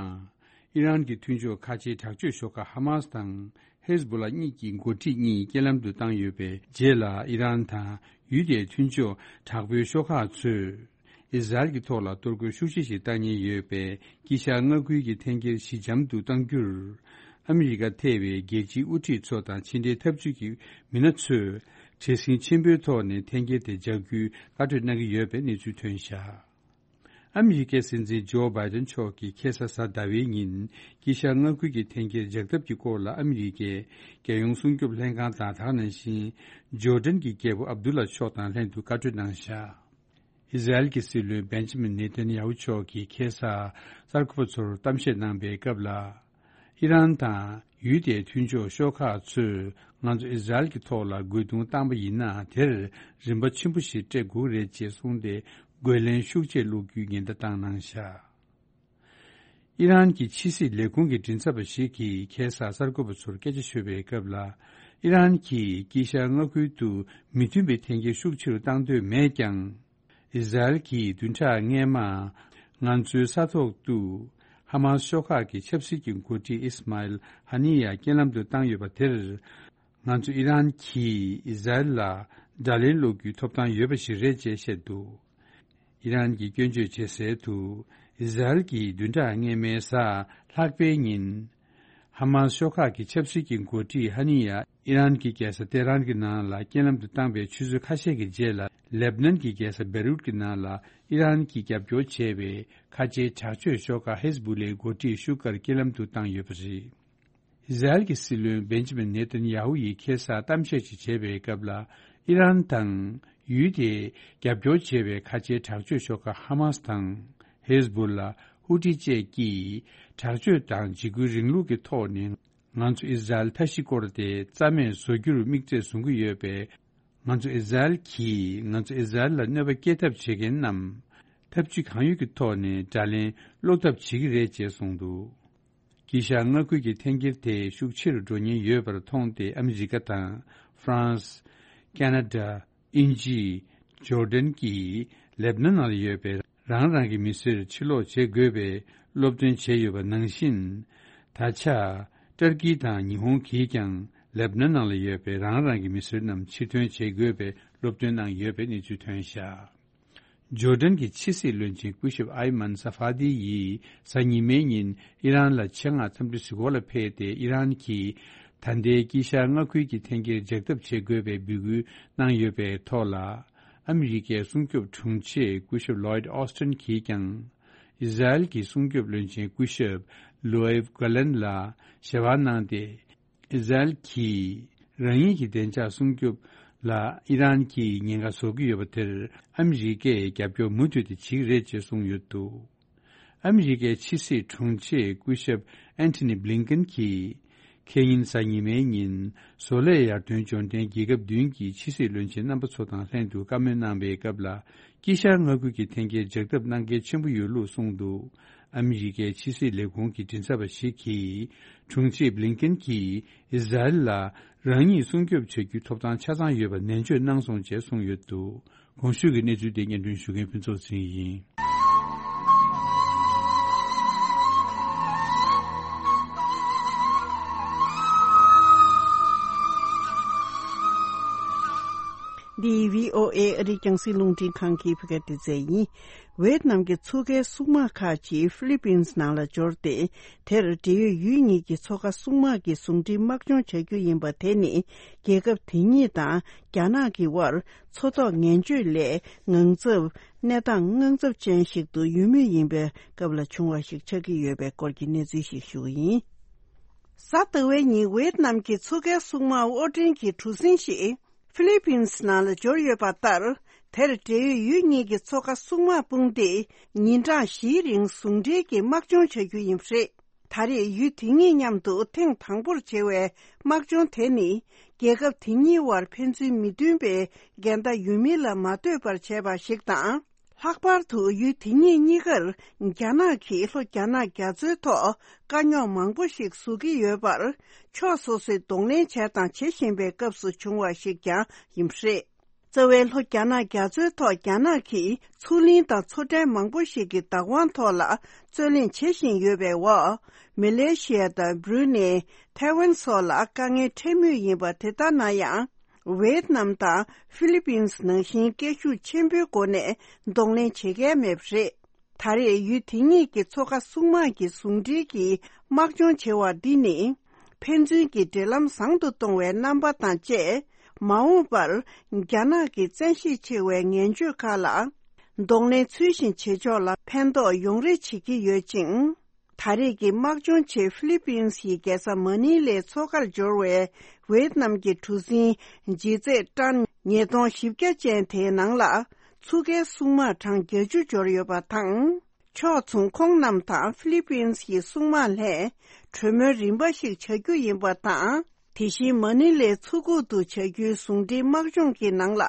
ཨི་རན་གྱི་མཐུན་ཕྱོགས་ཁ་ཆེའི་དྲག་སྤྱོད་ཤོག་ཁག་ཧ་མཱས་དང་། ཧེ་ཟ་བྷོ་ལ་གཉིས་ཀྱི་འགོ་ཁྲིད་གཉིས་རྐྱེན་ལམ་དུ་བཏང་ཡོད་པའི་རྗེས་ལ། ཨི་རན་དང་ཡུལ་དེའི་མཐུན་ཕྱོགས་དྲག་པོའི་ཤོག་ཁག་ཚོས། ཨི་ཟ་རེལ་གྱི་ཐོག་ལ་གཏོར་རྒོལ་ཤུགས་ཆེ་ཞིག་བཏང་ཉེན་ཡོད་པའི་དཀྱིལ་ཤར་མངའ་ཁུལ་གྱི་འཐེན་འཁྱེར་ཞི་འཇམ་དུ་གཏང་རྒྱུར། ཨ་མི་རི་ཀ་ཐེ་བའི་རྒྱལ་སྤྱིའི་དབུ་ཁྲིད་ཚོ་དང་ཕྱི་འབྲེལ་འཐབ་ཇུས་ཀྱི་མི་སྣ་ཚོས་བྲེལ་ཟིང་ཆེན་པོའི་ཐོག་ནས་འཐེན་འཁྱེར་དེ་འཇགས་རྒྱུའི་བཀའ་གྲོས་གནང་གི་ཡོད་པའི་གནས་ཚུལ་ཐོན་བཞག། ཨ་མི་རི་ཀའི་སྲིད་འཛིན་ཇོ་བྷའི་ཏན་མཆོག་གིས་ཁ་སང་གཟའ་ཟླ་བའི་ཉིན་དཀྱིལ་ཤར་མངའ་ཁུལ་གྱི་འཐེན་འཁྱེར་འཇགས་ཐབས་ཀྱི་སྐོར་ལ་ཨ་མི་རི་ཀའི་རྒྱལ་ཡོངས་སྲུང་སྐྱོབ་ལྷན་ཁང་དང་། ད་ག་ནང་བཞིན་ཇོར་ཌན་གྱི་རྒྱལ་པོ་ཨབ་དུ་ལ་མཆོག་དང་ལྷན་དུ་བཀའ་གྲོས་གནང་བཞག། ཨི་ཟ་རེལ་གྱི་སྲིད་བློན་བེན་ཇི་མིན་ནེ་ཐན་ཡ་ཧུ་མཆོག་གིས་ཁ་སང་གསར་འགོད་པ་ཚོར་གཏམ་བཤད་གནང་པའི་སྐབས་ལ། ཨི་རན་དང་ཡུལ་དེའི་མཐུན་ཕྱོགས་ཤོག་ཁག་ཚོས་ང་ཚོ་ཨི་ཟ་རེལ་གྱི་ཐོག་ལ་རྒོལ་རྡུང་བཏང་པ་ཡིན་ན། དེར་རིན་པ་ཆེན་པོ་ཞིག་སྤྲད་དགོས་རེད་ཅེས་གསུངས་ཏེ། རྒོལ་ལན་ཤུགས་ཆེ་སློག་རྒྱུའི་ཉེན་བརྡ་བཏང་གནང་བཞག། ཨི་རན་གྱི་ཕྱི་སྲིད་ལས་ཁུངས་ཀྱི་མགྲིན་ཚབ་པ་ཞིག་གིས་ཁ་སང་གསར་འགོད་པ་ཚོར་སྐད་ཆ་ཤོད་པའི་སྐབས་ལ། ཨི་རན་གྱིས་དཀྱིལ་ཤར་མངའ་ཁུལ་དུ་མི་མཐུན་པའི་འཐེན་འཁྱེར་ཤུགས་ཆེ་རུ་བཏང་འདོད་མེད་ཀྱང་། ཨི་ཟ་རེལ་གྱིས་བདུན་ཕྲག་སྔོན་མ་ང་ཚོའི་ས་ཐོག་ཏུ་ཧ་མཱས་ཤོག་ཁག་གི་ཆབ་སྲིད་ཀྱི་འགོ་ཁྲིད་ཨིས་མཱ་ཨེལ་ཧ་ནི་ཡ་རྐྱེན་ལམ་དུ་བཏང་ཡོད་པ་དེར། ང་ཚོ་ཨི་རན་གྱིས་ཨི་ཟ་རེལ་ལ་དགྲ་ལན་སློག་རྒྱུའི་ཐོབ་ཐང་ཡོད་པ་ཞིག་རེད་ཅེས་བཤད་འདུག། ཨི་རན་གྱིས་སྐྱོན་བརྗོད་བྱེད་གསལ་དུ། ཨི་ཟ་རེལ་གྱིས་བདུན་ཕྲག་སྔོན་མའི་གཟའ་ལྷག་པའི་ཉིན། ཧ་མཱས་ཤོག་ཁག་གི་ཆབ་སྲིད་ཀྱི་འགོ་ཁྲིད་ཧ་ནི་ཡ་ཨི་རན་གྱི་རྒྱལ་ས་ཏེ་རན་གྱི་ནང་ལ་རྐྱེན་ལམ་དུ་བཏང་པའི་ཆུ་ཚོད་ཁ་ཤས་ཀྱི་རྗེས་ལ། ལེབ་ནན་གྱི་རྒྱལ་ས་བེ་རུད་ཀྱི་ནང་ལ་ཨི་རན་གྱིས་རྒྱབ་སྐྱོར་བྱས་པའི་ཁ་ཆེའི་དྲག་སྤྱོད་ཤོག་ཁག་ཧེ་ཟ་བྷུ་ལའི་འགོ་ཁྲིད་ཤུ་ཀར་རྐྱེན་ལམ་དུ་བཏང་ཡོད་པ་རེད། ཨི་ཟ་རེལ་གྱི་སྲིད་བློན་བེན་ཇི་མིན་ནེ་ཐན་ཡ་ཧུ་ཡིས་ཁ་སང་གཏམ་བཤད་ཅིག་བྱས་པའི་སྐབས་ལ། ཨི་རན་དང་ཡུལ་དེས་རྒྱབ་སྐྱོར་བྱས་པའི་ཁ་ཆེའི་དྲག་སྤྱོད་ཤོག་ཁག་ཧ་མཱས་དང་ཧེ་ཟ་བྷུ་ལ་ཧུ་ཏི་བཅས་ཀྱིས་དྲག་སྤྱོད་དང་འཇིགས་སྐུལ་རིང་ལུགས་ཀྱི་ཐོག་ནས་ང་ཚོ་ཨི་ཟ་རེལ་མཐའ་བཞི་སྐོར་དེ་རྩ་མེད་བཟོ་རྒྱུར་དམིགས་ཚད་བཟུང་གི་ཡོད་པས། ང་ཚོ་ཨི་ཟ་རེལ་གྱིས་ང་ཚོ་ཨི་ཟ་རེལ་ལ་གནོད་པ་སྐྱེལ་ཐབས་བྱེད་མཁན་རྣམས་ཐབས་ཇུས་གང་ཡོད་ཀྱི་ཐོག་ནས་དགྲ་ལན་སློག་ཐབས་བྱེད་ཀྱི་རེད་ཅེས་གསུངས་འདུག། དཀྱིལ་ཤར་མངའ་ཁུལ་གྱི་འཐེན་འཁྱེར་དེ་ཤུགས་ཆེ་རུ་འགྲོ་ཉེན་ཡོད་པར་མཐོང་སྟེ། ཨ་མི་རི་ཀ་དང་ཧྥ་རན་སི། ཁ་ན་ཌ། དབྱིན་ཇི། ཇོར་ཌན་གྱིས་ལེབ་ནན་ནང་ལ་ཡོད་པའི་རང་རང་གི་མི་སེར་ཕྱིར་སློག་བྱེད་དགོས་པའི་སློབ་སྟོན་བྱས་ཡོད་པ་ནང་བཞིན། ད་ཆ་ཏུར་ཀི་དང་ཉི་ཧོང་གིས་ཀྱང་ལེབ་ནན་ནང་ལ་ཡོད་པའི་རང་རང་གི་མི་སེར་རྣམས་ཕྱིར་ཐོན་བྱེད་དགོས་པའི་སློབ་སྟོན་གནང་ཡོད་པའི་གནས་ཚུལ་ཐོན་བཞག། ཇོར་ཌན་གྱི་ཕྱི་སྲིད་བློན་ཆེན་སྐུ་ཞབས་ཨའི་མན་ས་ཧྥ་ཏི་ཡིས་གཟའ་ཉི་མའི་ཉིན་ཨི་རན་ལ་ཆེད་མངགས་འཚམས་འདྲི་གཟིགས་སྐོར་ལ་ཕེབས་ཏེ། ཨི་རན་གྱིས་ད་ལྟའི་དཀྱིལ་ཤར་མངའ་ཁུལ་གྱི་འཐེན་འཁྱེར་འཇགས་ཐབས་བྱེད་དགོས་པའི་འབོད་སྐུལ་གནང་ཡོད་པའི་ཐོག་ལ། ཨ་མི་རི་ཀའི་སྲུང་སྐྱོབ་དྲུང་ཆེ་སྐུ་ཞབས་ལོའིད་ཨོ་སི་ཊིན་གྱིས་ཀྱང་། ཨི་ཟ་རེལ་གྱི་སྲུང་སྐྱོབ་བློན་ཆེན་སྐུ་ཞབས་ལོའེབ་གྷ་ལན་ལ་ཞལ་པར་གནང་སྟེ། ཨི་ཟ་རེལ་གྱིས་རང་ཉིད་ཀྱི་བདེ་འཇགས་སྲུང་སྐྱོབ་ལ་ཨི་རན་གྱིས་ཉེན་ཁ་བཟོ་གི་ཡོད་པ་དེར་ཨ་མི་རི་ཀས་རྒྱབ་སྐྱོར་མུ་མཐུད་དེ་བྱེད་ཀྱི་རེད་ཅེས་གསུངས་ཡོད་འདུག། ཨ་མི་རི་ཀའི་ཕྱི་སྲིད་དྲུང་ཆེ་སྐུ་ཞབས་ཨན་ཐི་ནི་བྷི་ལིན་ཀེན་གྱིས། ཁེ་ཉིན་གཟའ་ཉི་མའི་ཉིན་བཟོ་ལས་ཡར་ཐོན་འབྱོར་ལྡན་རྒྱལ་ཁབ་བདུན་གྱི་ཕྱི་སྲིད་བློན་ཆེན་རྣམ་པ་ཚོ་དང་ལྷན་དུ་བཀའ་མོལ་གནང་བའི་སྐབས་ལ། དཀྱིལ་ཤར་མངའ་ཁུལ་གྱི་འཐེན་འཁྱེར་འཇགས་ཐབས་གནང་གལ་ཆེན་པོ་ཡོད་ལུགས་གསུངས་འདུག། ཨ་མི་རི་ཀའི་ཕྱི་སྲིད་ལས་ཁུངས་ཀྱི་མགྲིན་ཚབ་པ་ཞིག་གིས། དྲུང་ཆེ་བྷི་ལིན་ཀེན་གྱིས་ཨི་ཟ་རེལ་ལ་ རང་ཉིད་སྲུང་སྐྱོབ་བྱ་རྒྱུའི་ཐོབ་ཐང་ཆ་ཚང་ཡོད་པ་ནན་བརྗོད་གནང་སོང་ཅེས་གསུངས་ཡོད་འདུག་གོང་ཞུས་ཀྱི་གནས་ཚུལ་དེ་སྙན་སྒྲོན་ཞུ་མཁན་ཕུན་ཚོགས་ཚེ་རིང་ཡིན། འདི་བྷི་ཨོ་ཨེ་ཨ་རིའི་རྒྱང་སྲིང་རླུང་འཕྲིན་ཁང་གི་བོད་སྐད་སྡེ་ཚན་ཡིན། ཝེད་ནམ་གྱི་མཚོ་ཁའི་སྲུང་དམག་ཁག་ཅིག་ཧྥི་ལི་པིན་སི་ནང་ལ་འབྱོར་ཏེ། དེར་འབྲེལ་ཡོད་ཡུལ་གཉིས་ཀྱི་མཚོ་ཁ་སྲུང་དམག་གི་ཟུང་འབྲེལ་དམག་སྦྱོང་བྱ་རྒྱུ་ཡིན་པ་དེ་ནི། རྒྱལ་ཁབ་དེ་གཉིས་དང་རྒྱ་ནག་གི་དབར་མཚོ་ཐོག་ངན་སྤྱོད་ལས་ངང་ཚབ། གནས་སྟངས་དངངས་འཚབ་ཅན་ཞིག་ཏུ་ཡོད་མུས་ཡིན་པའི་སྐབས་ལ་བྱུང་བ་ཞིག་ཆགས་ཀྱི་ཡོད་པའི་སྐོར་གྱི་གནས་ཚུལ་ཞིག་ཞུ་གི་ཡིན། གཟའ་ཟླ་བའི་ཉིན་ཝེད་ནམ་གྱི་མཚོ་ཁའི་སྲུང་དམག་དབོར་འདྲེན་གྱི་གྲུ་གཟིངས་ཤིག་ཧྥི་ལི་པིན་སི་ནང་ལ་འབྱོར་ཡོད་པ་ལྟར། དེར་འབྲེལ་ཡོད་ཡུལ་གཉིས་ཀྱི་མཚོ་ཁ་སྲུང་དམག་དཔུང་སྡེས་ཉིན་གྲངས་བཞིའི་རིང་ཟུང་འབྲེལ་གྱིས་དམག་སྦྱོང་བྱ་རྒྱུ་ཡིན་པ་རེད། ད་རེས་ཡུལ་དེ་གཉིས་མཉམ་དུ་ཐེངས་དང་པོར་བྱེད་པའི་དམག་སྦྱོང་དེ་ནི། རྒྱལ་ཁབ་དེ་གཉིས་དབར་ཕན་ཚུན་མི་མཐུན་པའི་འགལ་ཟླ་ཡོད་མིན་ལ་མ་ལྟོས་པར་བྱས་པ་ཞིག་དང་། ལྷག་པར་དུ་ཡུལ་དེ་གཉིས་གཉིས་ཀར་རྒྱ་ནག་གིས་ལྷོ་རྒྱ་ནག་རྒྱ་མཚོའི་ཐོག་དཀའ་རྙོག་མང་པོ་ཞིག་བཟོ་གི་ཡོད་པར། ཕྱོགས་སོ་སོས་གདོང་ལེན་བྱས་དང་བྱེད་བཞིན་པའི་སྐབས་སུ་བྱུང་བ་ཞིག་ཀྱང་ཡིན་པ་རེད། རྩ་བའི་ལྷོ་རྒྱ་ནག་རྒྱ་མཚོའི་ཐོག་རྒྱ་ནག་གིས་མཚོ་གླིང་དང་མཚོ་ཁྲལ་མང་པོ་ཞིག་གི་བདག་དབང་ཐོག་ལ་རྩོད་གླེང་བྱེད་བཞིན་ཡོད་པའི་འོག་མེ་ལེ་ཤི་ཡ་དང་བྷ་རུ་ནེ། ཐའེ་ཝན་སོགས་ལ་དཀའ་ངལ་འཕྲད་མུས་ཡིན་པ་དེ་ལྟར་ན་ཡང་། ཝེད་ནམ་དང་ཧྥི་ལི་པིན་སི་ནང་བཞིན་སྐད་ཤུགས་ཆེན་པོའི་སྒོ་ནས་གདོང་ལེན་བྱེད་མཁན་མེད་པ་རེད། ད་རེས་ཡུལ་དེ་གཉིས་ཀྱི་མཚོ་ཁ་སྲུང་དམག་གི་ཟུང་འབྲེལ་གྱི་དམག་སྦྱོང་བྱེད་པ་འདི་ནི། ཕན་ཚུན་གྱི་འབྲེལ་ལམ་བཟང་དུ་གཏོང་བའི་རྣམ་པ་དང་བཅས། མ་འོངས་པར་རྒྱ་ནག་གི་བཙན་ཤེད་ཆེ་བའི་ངན་སྤྱོད་ཁག་ལ། གདོང་ལེན་ཚུལ་བཞིན་བྱེད་ཕྱོགས་ལ་ཕན་ཐོགས་ཡོང་རེ་བྱེད་ཀྱི་ཡོད་ཅིང་། ད་རེས་ཀྱི་དམག་སྦྱོང་ཆེད་ཧྥི་ལི་པིན་སི་ཡི་རྒྱལ་ས་མ་ནི་ལའི་མཚོ་ཁར་འབྱོར་བའི་ཝེད་ནམ་གྱི་གྲུ་གཟིངས་ལྗིད་ཚད་ཊོན་ཉིས་སྟོང་བཞི་བརྒྱ་ཅན་དེའི་ནང་ལ་མཚོ་ཁའི་སྲུང་དམག་གྲངས་བརྒྱད་ཅུ་འབྱོར་ཡོད་པ་དང་། ཕྱོགས་མཚུངས་ཁོང་རྣམས་དང་ཧྥི་ལི་པིན་སི་ཡི་སྲུང་དམག་ལྷན་གྲོས་མོལ་རིམ་པ་ཞིག་བྱ་རྒྱུ་ཡིན་པ་དང་། དེ་བཞིན་མ་ནི་ལའི་མཚོ་ཁུག་ཏུ་བྱ་རྒྱུའི་ཟུང་འབྲེལ་དམག་སྦྱོང་གི་ནང་ལ་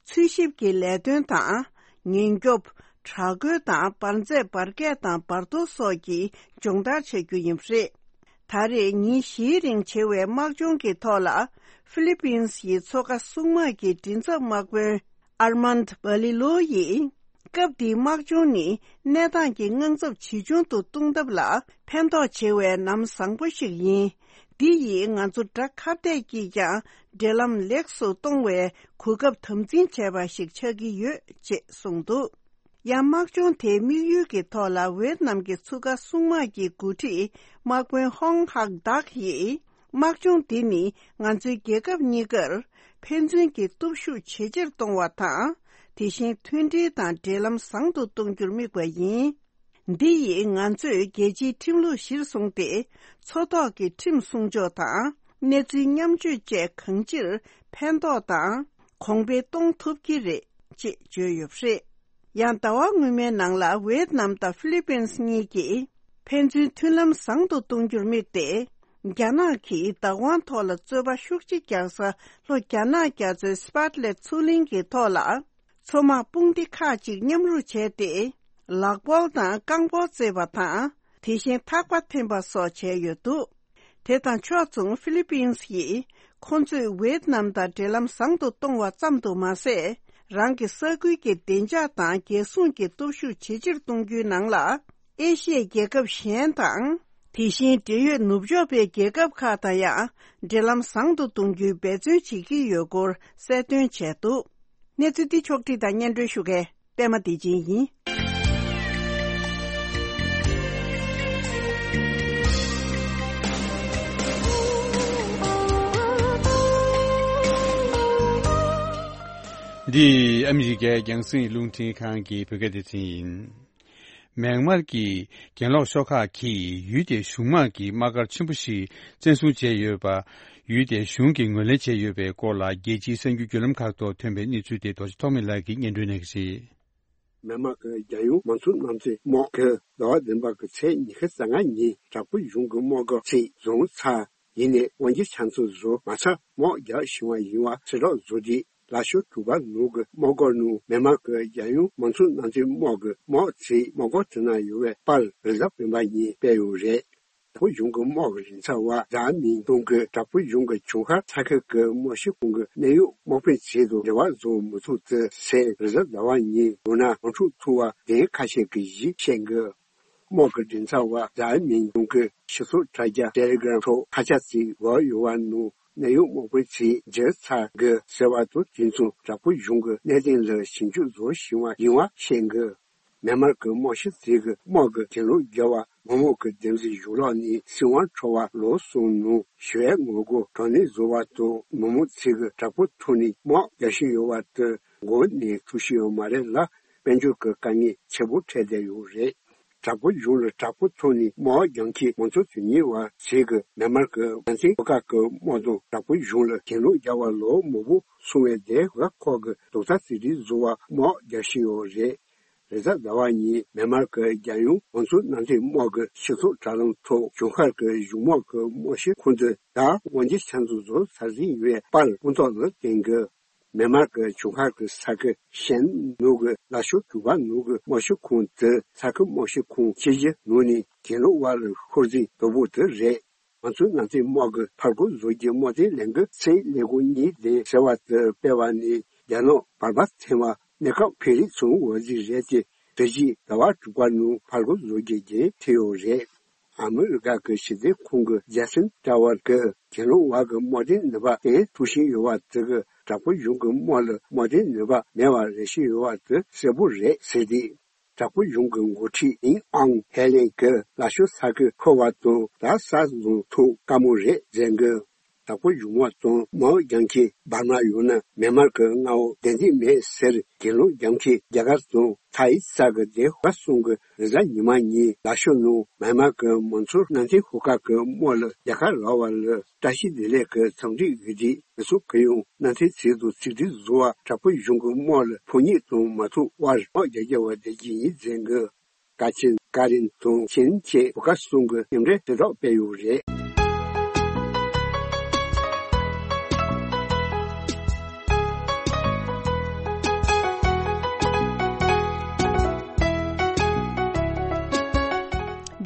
འཚོལ་ཞིབ་ཀྱི་ལས་དོན་དང་། ཉེན་སྐྱོབ། དྲག་རྒོལ་དང་འབར་རྫས་འབར་གས་དང་འབར་གཏོར་སོགས་ཀྱི་སྦྱོང་བརྡར་བྱ་རྒྱུ་ཡིན་པ་རེད། ད་རེས་ཉིན་བཞིའི་རིང་བྱེད་པའི་དམག་སྦྱོང་གི་ཐོག་ལ་ཧྥི་ལི་པིན་སི་ཡི་མཚོ་ཁ་སྲུང་དམག་གི་མགྲིན་ཚབ་དམག་དཔོན་ཨར་མན་ཌི་བྷ་ལི་ལོ་ཡིས། སྐབས་འདིའི་དམག་སྦྱོང་ནི་གནས་སྟངས་ཀྱི་དངངས་འཚབ་ཇི་བྱུང་དུ་གཏོང་ཐབས་ལ་ཕན་ཐོགས་ཆེ་བའི་ལམ་བཟང་པོ་ཞིག་ཡིན། འདི་ཡིས་ང་ཚོ་དགྲ་ཁ་གཏད་ཀྱིས་ཀྱང་འབྲེལ་ལམ་ལེགས་སུ་གཏོང་བའི་གོ་སྐབས་དམ་འཛིན་བྱས་པ་ཞིག་ཆགས་ཀྱི་ཡོད་ཅེས་གསུངས་འདུག་ཡང་དམག་སྦྱོང་དེའི་དམིགས་ཡུལ་གྱི་ཐོག་ལ་ཝེད་ནམ་གྱི་མཚོ་ཁ་སྲུང་དམག་གི་འགོ་ཁྲིད་དམག་དཔོན་ཧོང་ཧག་དག་ཡིས། དམག་སྦྱོང་འདི་ནི་ང་ཚོའི་རྒྱལ་ཁབ་གཉིས་ཀར་ཕན་ཚུན་གྱི་སྟོབས་ཤུགས་ཇེ་ཆེར་གཏོང་བ་དང་། དེ་བཞིན་མཐུན་སྒྲིལ་དང་འབྲེལ་ལམ་བཟང་དུ་གཏོང་རྒྱུར་དམིགས་པ་ཡིན། འདི་ཡིས་ང་ཚོས་རྒྱལ་སྤྱིའི་ཁྲིམས་ལུགས་གཞིར་བཟུང་སྟེ། མཚོ་ཐོག་གི་ཁྲིམས་སྲུང་སྐྱོང་དང་། གནས་ཚུལ་མཉམ་སྤྱོད་བཅས་གང་ཅིར་ཕན་ཐོགས་དང་གོང་འཕེལ་གཏོང་ཐུབ་ཀྱི་རེད། ཅེས་བརྗོད་ཡོད་པ་རེད། ཡང་ཟླ་བ་སྔོན་མའི་ནང་ལ་ཝེད་ནམ་དང་ཧྥི་ལི་པིན་སི་གཉིས་ཀྱིས་ཕན་ཚུན་མཐུན་ལམ་བཟང་དུ་གཏོང་རྒྱུར་དམིགས་ཏེ། རྒྱ་ནག་གིས་བདག་དབང་ཐོག་ལ་རྩོད་པ་ཤུགས་ཆེ་རྒྱག་ས་ལྷོ་རྒྱ་ནག་རྒྱ་མཚོའི་སི་པཱ་ཏ་ལེ་མཚོ་གླིང་གི་ཐོག་ལ། མཚོ་དམག་དཔུང་སྡེ་ཁག་ཅིག་མཉམ་རུབ་བྱས་ཏེ། ལག་སྤོལ་དང་རྐང་སྤོལ་རྩེད་པ་དང་། དེ་བཞིན་ཐག་པ་འཐེན་པ་སོགས་བྱས་ཡོད་འདུག་དེ་དང་ཕྱོགས་མཚུངས་ཧྥི་ལི་པིན་སི་ཡིས། ཁོང་ཚོས་ཝེད་ནམ་དང་འབྲེལ་ལམ་བཟང་དུ་གཏོང་བ་ཙམ་དུ་མ་ཟད། རང་གི་ས་ཁུལ་གྱitslag་དང་རྒྱལ་སྲུང་གི་སྟོབས་ཤུགས་ཇེ་ཆེར་གཏོང་རྒྱུའི་ནང་ལ། ཨེ་ཤི་ཡའི་རྒྱལ་ཁབ་གཞན་དང་། དེ་བཞིན་འབྲེལ་ཡོད་ནུབ་ཕྱོགས་པའི་རྒྱལ་ཁབ་ཁག་དང་ཡང་འབྲེལ་ལམ་བཟང་དུ་གཏོང་རྒྱུའི་འབད་བརྩོན་བྱེད་ཀྱི་ཡོད་སྐོར་གསལ་སྟོན་བྱས་འདུག་གནས་ཚུལ་འདི་ཕྱོགས་བསྒྲིགས་དང་སྙན་སྒྲོན་ཞུ་མཁན་པད་མ་བདེ་ཆེན་ཡིན། འདི་ཨ་མི་རི་ཀའི་རྒྱང་སྲིང་རླུང་འཕྲིན་ཁང་གི་བོད་སྐད་སྡེ་ཚན་ཡིན། མེན་མར་གྱི་གྱེན་ལོག་ཤོག་ཁག་གིས་ཡུལ་དེའི་གཞུང་དམག་གི་དམག་སྒར་ཆེན་པོ་ཞིག་བཙན་བཟུང་བྱས་ཡོད་པ། ཡུལ་དེའི་གཞུང་གིས་ངོས་ལེན་བྱས་ཡོད་པའི་སྐོར་ལ། རྒྱལ་སྤྱིའི་གསར་འགྱུར་བརྒྱུད་ལམ་ཁག་ཐོག་ཐོན་པའི་གནས་ཚུལ་དེ་རྡོ་རྗེ་ཐོགས་མེད་ལགས་ཀྱིས་སྙན་སྒྲོན་གནང་གི་རེད། མེན་མར་གྱི་རྒྱལ་ཡོངས་མང་གཙོ་དམངས་གཙོའི་དམག་གིས་ཟླ་བ་བདུན་པ་གི་ཚེས་ཉི་ཤུ་རྩ་ལྔ་ཉིན་དྲག་པོའི་གཞུང་གི་དམག་སྒར་ཚིག་བཟུང་ཚར། ཡིན་ནའི་དབང་སྒྱུར་ཆ་ཚང་བཟོ་མ་ཚར། དམག་རྒྱག་བཞིན་པ་ཡིན་པ་ཚེ་སྲོག་བཟོ་རྒྱུ། ལ་ཤོ་དྲུག་པ་ནང་གི་དམག་སྒར་ནང་མེན་མར་གྱི་རྒྱལ་ཡོངས་མང་གཙོ་དམངས་གཙོའི་དམག་གི་དམག་ཚིག་དམག་སྒར་དེ་ན་ཡོད་པའི་པར་རེས་གཟའ་སྤེན་པ་ཉིན་སྤེལ་ཡོད་རེད། དྲག་པོ་གཞུང་གི་དམག་གི་མགྲིན་ཚབ་པ་ཛཱ་མིང་ཏུང་གིས་དྲག་པོ་གཞུང་གི་གྱོང་ཁ་ཚ་ཁུལ་གྱི་དམག་སྤྱི་ཁོང་གི་གནད་ཡོད་དམག་དཔོན་ཚོ་དང་འབྲེལ་བ་བཟོ་མི་ཐུབ་ཚུལ་སོགས་རེས་གཟའ་ཟླ་བ་ཉིན་ལུང་ནག་དམག་འཁྲུག་ཐུག་པ་དེ་ཁ་ཤས་ཀྱིས་གཞི་བཤད་འདུག་དམག་གི་མགྲིན་ཚབ་པ་ཛཱ་མིང་ཏུང་གིས་སྤྱི་ཚོགས་དྲ་རྒྱ་ཊེ་ལེ་གྷི་རམ་ཐོག་ཁ་བྱང་ཞིག་བཀོད་ཡོད་པ་ནང་གནད་ཡོད་དམག་དཔོན་ཚོས་མཇལ་ཚར་འདུག་ཟེར་བ་དང་། དེ་མཚུངས་དྲག་པོ་གཞུང་གི་གནད་དོན་ལ་ཞིབ་འཇུག་བཟོ་བཞིན་པ་ཡིན་པ་བཤད་འདུག་མེན་མར་གྱི་དམག་སྤྱི་ཚོས་ཀྱི་དམག་གི་གྱེན་ལོག་བརྒྱབ་པ། མི་མང་གི་བདེན་འཛིན་གཞུང་ལོགས་ནས་སྲིད་དབང་འཕྲོག་པ། ལོ་གསུམ་ནང་ཞི་བའི་ངོ་རྒོལ་དྲག་གནོན་བཟོ་བ་དང་། མི་མང་ཚོས་ཀྱི་དྲག་པོའི་ཐོག་ནས་དམག་རྒྱག་བཞིན་ཡོད་པ་དེ་མགོ་ནས་ཐུག་བཞིན་ཡོད་མ་རེད་ལ། དཔལ་འབྱོར་གྱི་དཀའ་ངལ་ཆེན་པོ་འཕྲད་བསྡད་ཡོད་རེད། དྲག་པོ་གཞུང་ལ་དྲག་པོའི་ཐོག་ནས་དམག་རྒྱག་མཁན་མང་གཙོ་དོན་གཉེར་བ་ཚོས་ཀྱི་མེན་མར་གྱི་མནའ་མཐུན་ཤོག་ཁག་གི་དམག་དང་དྲག་པོ་གཞུང་ལ་གྱེན་ལོག་བརྒྱབ་པ་ལོ་མང་པོ་སོང་བའི་དེ་ག་ཁོག་གི་རྡོག་རྩ་གཅིག་སྒྲིལ་བཟོ་བར་དམག་རྒྱག་བཞིན་ཡོད་རེད། རེས་གཟའ་ཟླ་བ་ཉིན་མེན་མར་གྱི་རྒྱལ་ཡོངས་དམངས་གཙོ་མནའ་མཐུན་དམག་གི་སྤྱི་ཚོགས་དྲ་ལམ་ཐོག་ཇུན་ཧར་གྱི་གཞུང་དམག་གི་དམག་སྤྱི་ཁོང་དུ་ད་དབང་ཆ་ཆ་ཚང་བཟོ་ཚར་ཟིན་ཡོད་པའི་པར་དབུ་ཐོག་ལ་བསྟན་གྱི། མེན་མར་གྱི་ཇུན་ཧར་གྱི་ས་ཁུལ་ཤན་ནུབ་ཀྱི་ལ་ཤོ་དུ་བ་ནུབ་ཀྱི་དམག་སྤྱི་ཁོང་དེ་ས་ཁུལ་དམག་སྤྱི་ཁོངས་སྤྱི་བཞི་ནང་ནས་གྱེན་ལོག་པ་ལ་ཤོར་ཟིན་དོ་པོ་དེ་རེད། ང་ཚོའི་མནའ་མཐུན་དམག་གི་ཕར་རྒོལ་བཟོ་རྒྱུའི་དམག་དོན་ལས་འགུལ་ཚད་ལས་འགུལ་གཉིས་ལྡན་ཟེར་བ་དེ་སྤེལ་བ་ནི་རྒྱ་ནག་བར་པ་ཚན་པ་གནས་སྐབས་ཕེ་ལི་ཚུང་འོས་གཟིགས་རེད་དེ། དེ་བཞིན་ཟླ་བ་དྲུག་པ་ནང་ཕར་རྒོལ་བཟོ་རྒྱུའི་འགན་འཁྱེར་ཡོད་རེད། ཨ་མི་རི་ཀ་གི་ཕྱི་སྲིད་ཁང་གི་ཇེ་སན་ཏྲ་ཝར་གྱིས་གྱེན་ལོག་པ་གི་དམག་དོན་ནུས་པ་བརྟན་ཐུབ་བཞིན་ཡོད་པ་དེ་གིས་དྲག་པོ་གཞུང་གི་དམག་ལ་དམག་དོན་ནུས་པ་མེད་པ་རེ་བཞིན་ཡོད་པ་དེ་གསལ་པོ་རེད་ཟེར་ཏེ། དྲག་པོ་གཞུང་གི་འགོ་ཁྲིད་ཨིན་ཨང་ཧེ་ལེན་གྱིས་ལ་ཤོ་ས་ཁུལ་ཁུ་བ་དང་ད་ས་རྫོང་ཐོག་དཀའ་མོ་རེད་ཟེར་གི། དྲག་པོ་གཞུང་དམག་དང་དམག་རྒྱག་མཁན་འབར་མ་ཡང་ན་མེན་མར་གྱི་མངའ་འོག་བདེ་འཛིན་མེད་ཟེར་གྱེན་ལོག་རྒྱག་མཁན་རྒྱ་གར་དང་ཐའི་ས་གི་སྡེ་ཁག་གསུམ་གྱིས་རེས་གཟའ་ཉི་མ་ཉིན་ལ་ཤོ་ནང་མེན་མར་གྱི་མང་གཙོ་མནའ་མཐུན་ཤོག་ཁག་གི་དམག་ལ་རྒྱལ་ཁ་རག་པ་ལ་བཀྲ་ཤིས་བདེ་ལེགས་ཀྱི་འཚམས་འདྲི་ཡོད་དུས། མི་ཚོ་གིས་ཡང་མནའ་མཐུན་ཚོ་དང་གཅིག་སྒྲིལ་བཟོ་བར་དྲག་པོ་གཞུང་གི་དམག་ལ་ཕོ་ཉ་དང་མ་ཐུག་པར་དམག་རྒྱག་རྒྱུ་བ་བསྡད་ཀྱི་ཡིན་ཟེར་གི། ཀ་ཆེན། ཀ་རིན་དང་ཆིན་བཅས་བོད་ཁ་གསུམ་གྱི་མཉམ་འབྲེལ་དྲིལ་བསྒྲགས་སྤེལ་ཡོད་རེད།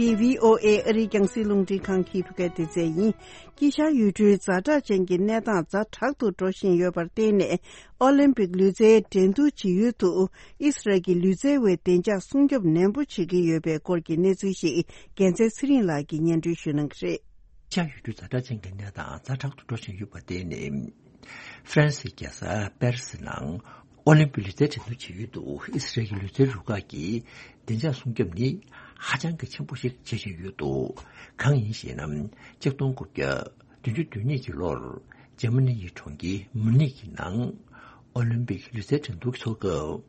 འདི་བྷི་ཨོ་ཨེ་ཨ་རིའི་རྒྱང་སྲིང་རླུང་འཕྲིན་ཁང་གི་འཕྲུལ་ཁའི་སྡེ་ཚན་ཡིན། དཀྱིལ་ཤར་ཡུལ་གྲུའི་ཛ་དྲག་ཅན་གྱི་གནས་སྟངས་ཛ་དྲག་ཏུ་འགྲོ་བཞིན་ཡོད་པར་བརྟེན་ནས། ཨོ་ལིམ་པིག་ལུས་རྩལ་འགྲན་བསྡུར་བྱེད་ཡུལ་དུ་ཨི་སི་རལ་གྱི་ལུས་རྩལ་བའི་བདེ་འཇགས་སྲུང་སྐྱོབ་ནན་པོ་བྱེད་ཀྱི་ཡོད་པའི་སྐོར་གྱི་གནས་ཚུལ་ཞིག་རྒྱལ་མཚན་ཚེ་རིང་ལགས་ཀྱིས་སྙན་སྒྲོན་ཞུ་གནང་གི་རེད། དཀྱིལ་ཤར་ཡུལ་གྲུའི་ཛ་དྲག་ཅན་གྱི་གནས་སྟངས་ཛ་དྲག་ཏུ་འགྲོ་བཞིན་ཡོད་པར་བརྟེན་ནས། ཧྥ་རན་སིའི་རྒྱལ་ས་པེ་རི་སི་ནང་ཨོ་ལིམ་པིག་ལུས་རྩལ་འགྲན་བསྡུར་བྱེད་ཡུལ་དུ་ཨི་སི་རལ་གྱི་ལུས་རྩལ་རུ་ཁག་གིས་བདེ་འཇགས་སྲུང་སྐྱོབ་ནི་ཧ་ཅང་གི་ཆེན་པོ་ཞིག་བྱེད་བཞིན་ཡོད་འདུག་གང་ཡིན་ཞེ་ན། གཅིག་སྟོང་དགུ་བརྒྱ་བདུན་ཅུ་དོན་གཉིས་ཀྱི་ལོར་འཇར་མ་ནི་ཡི་གྲོང་ཁྱེར་མུ་ནིག་གི་ནང་ཨོ་ལིམ་པིག་ལུས་རྩལ་འགྲན་བསྡུར་འཚོགས་སྐབས།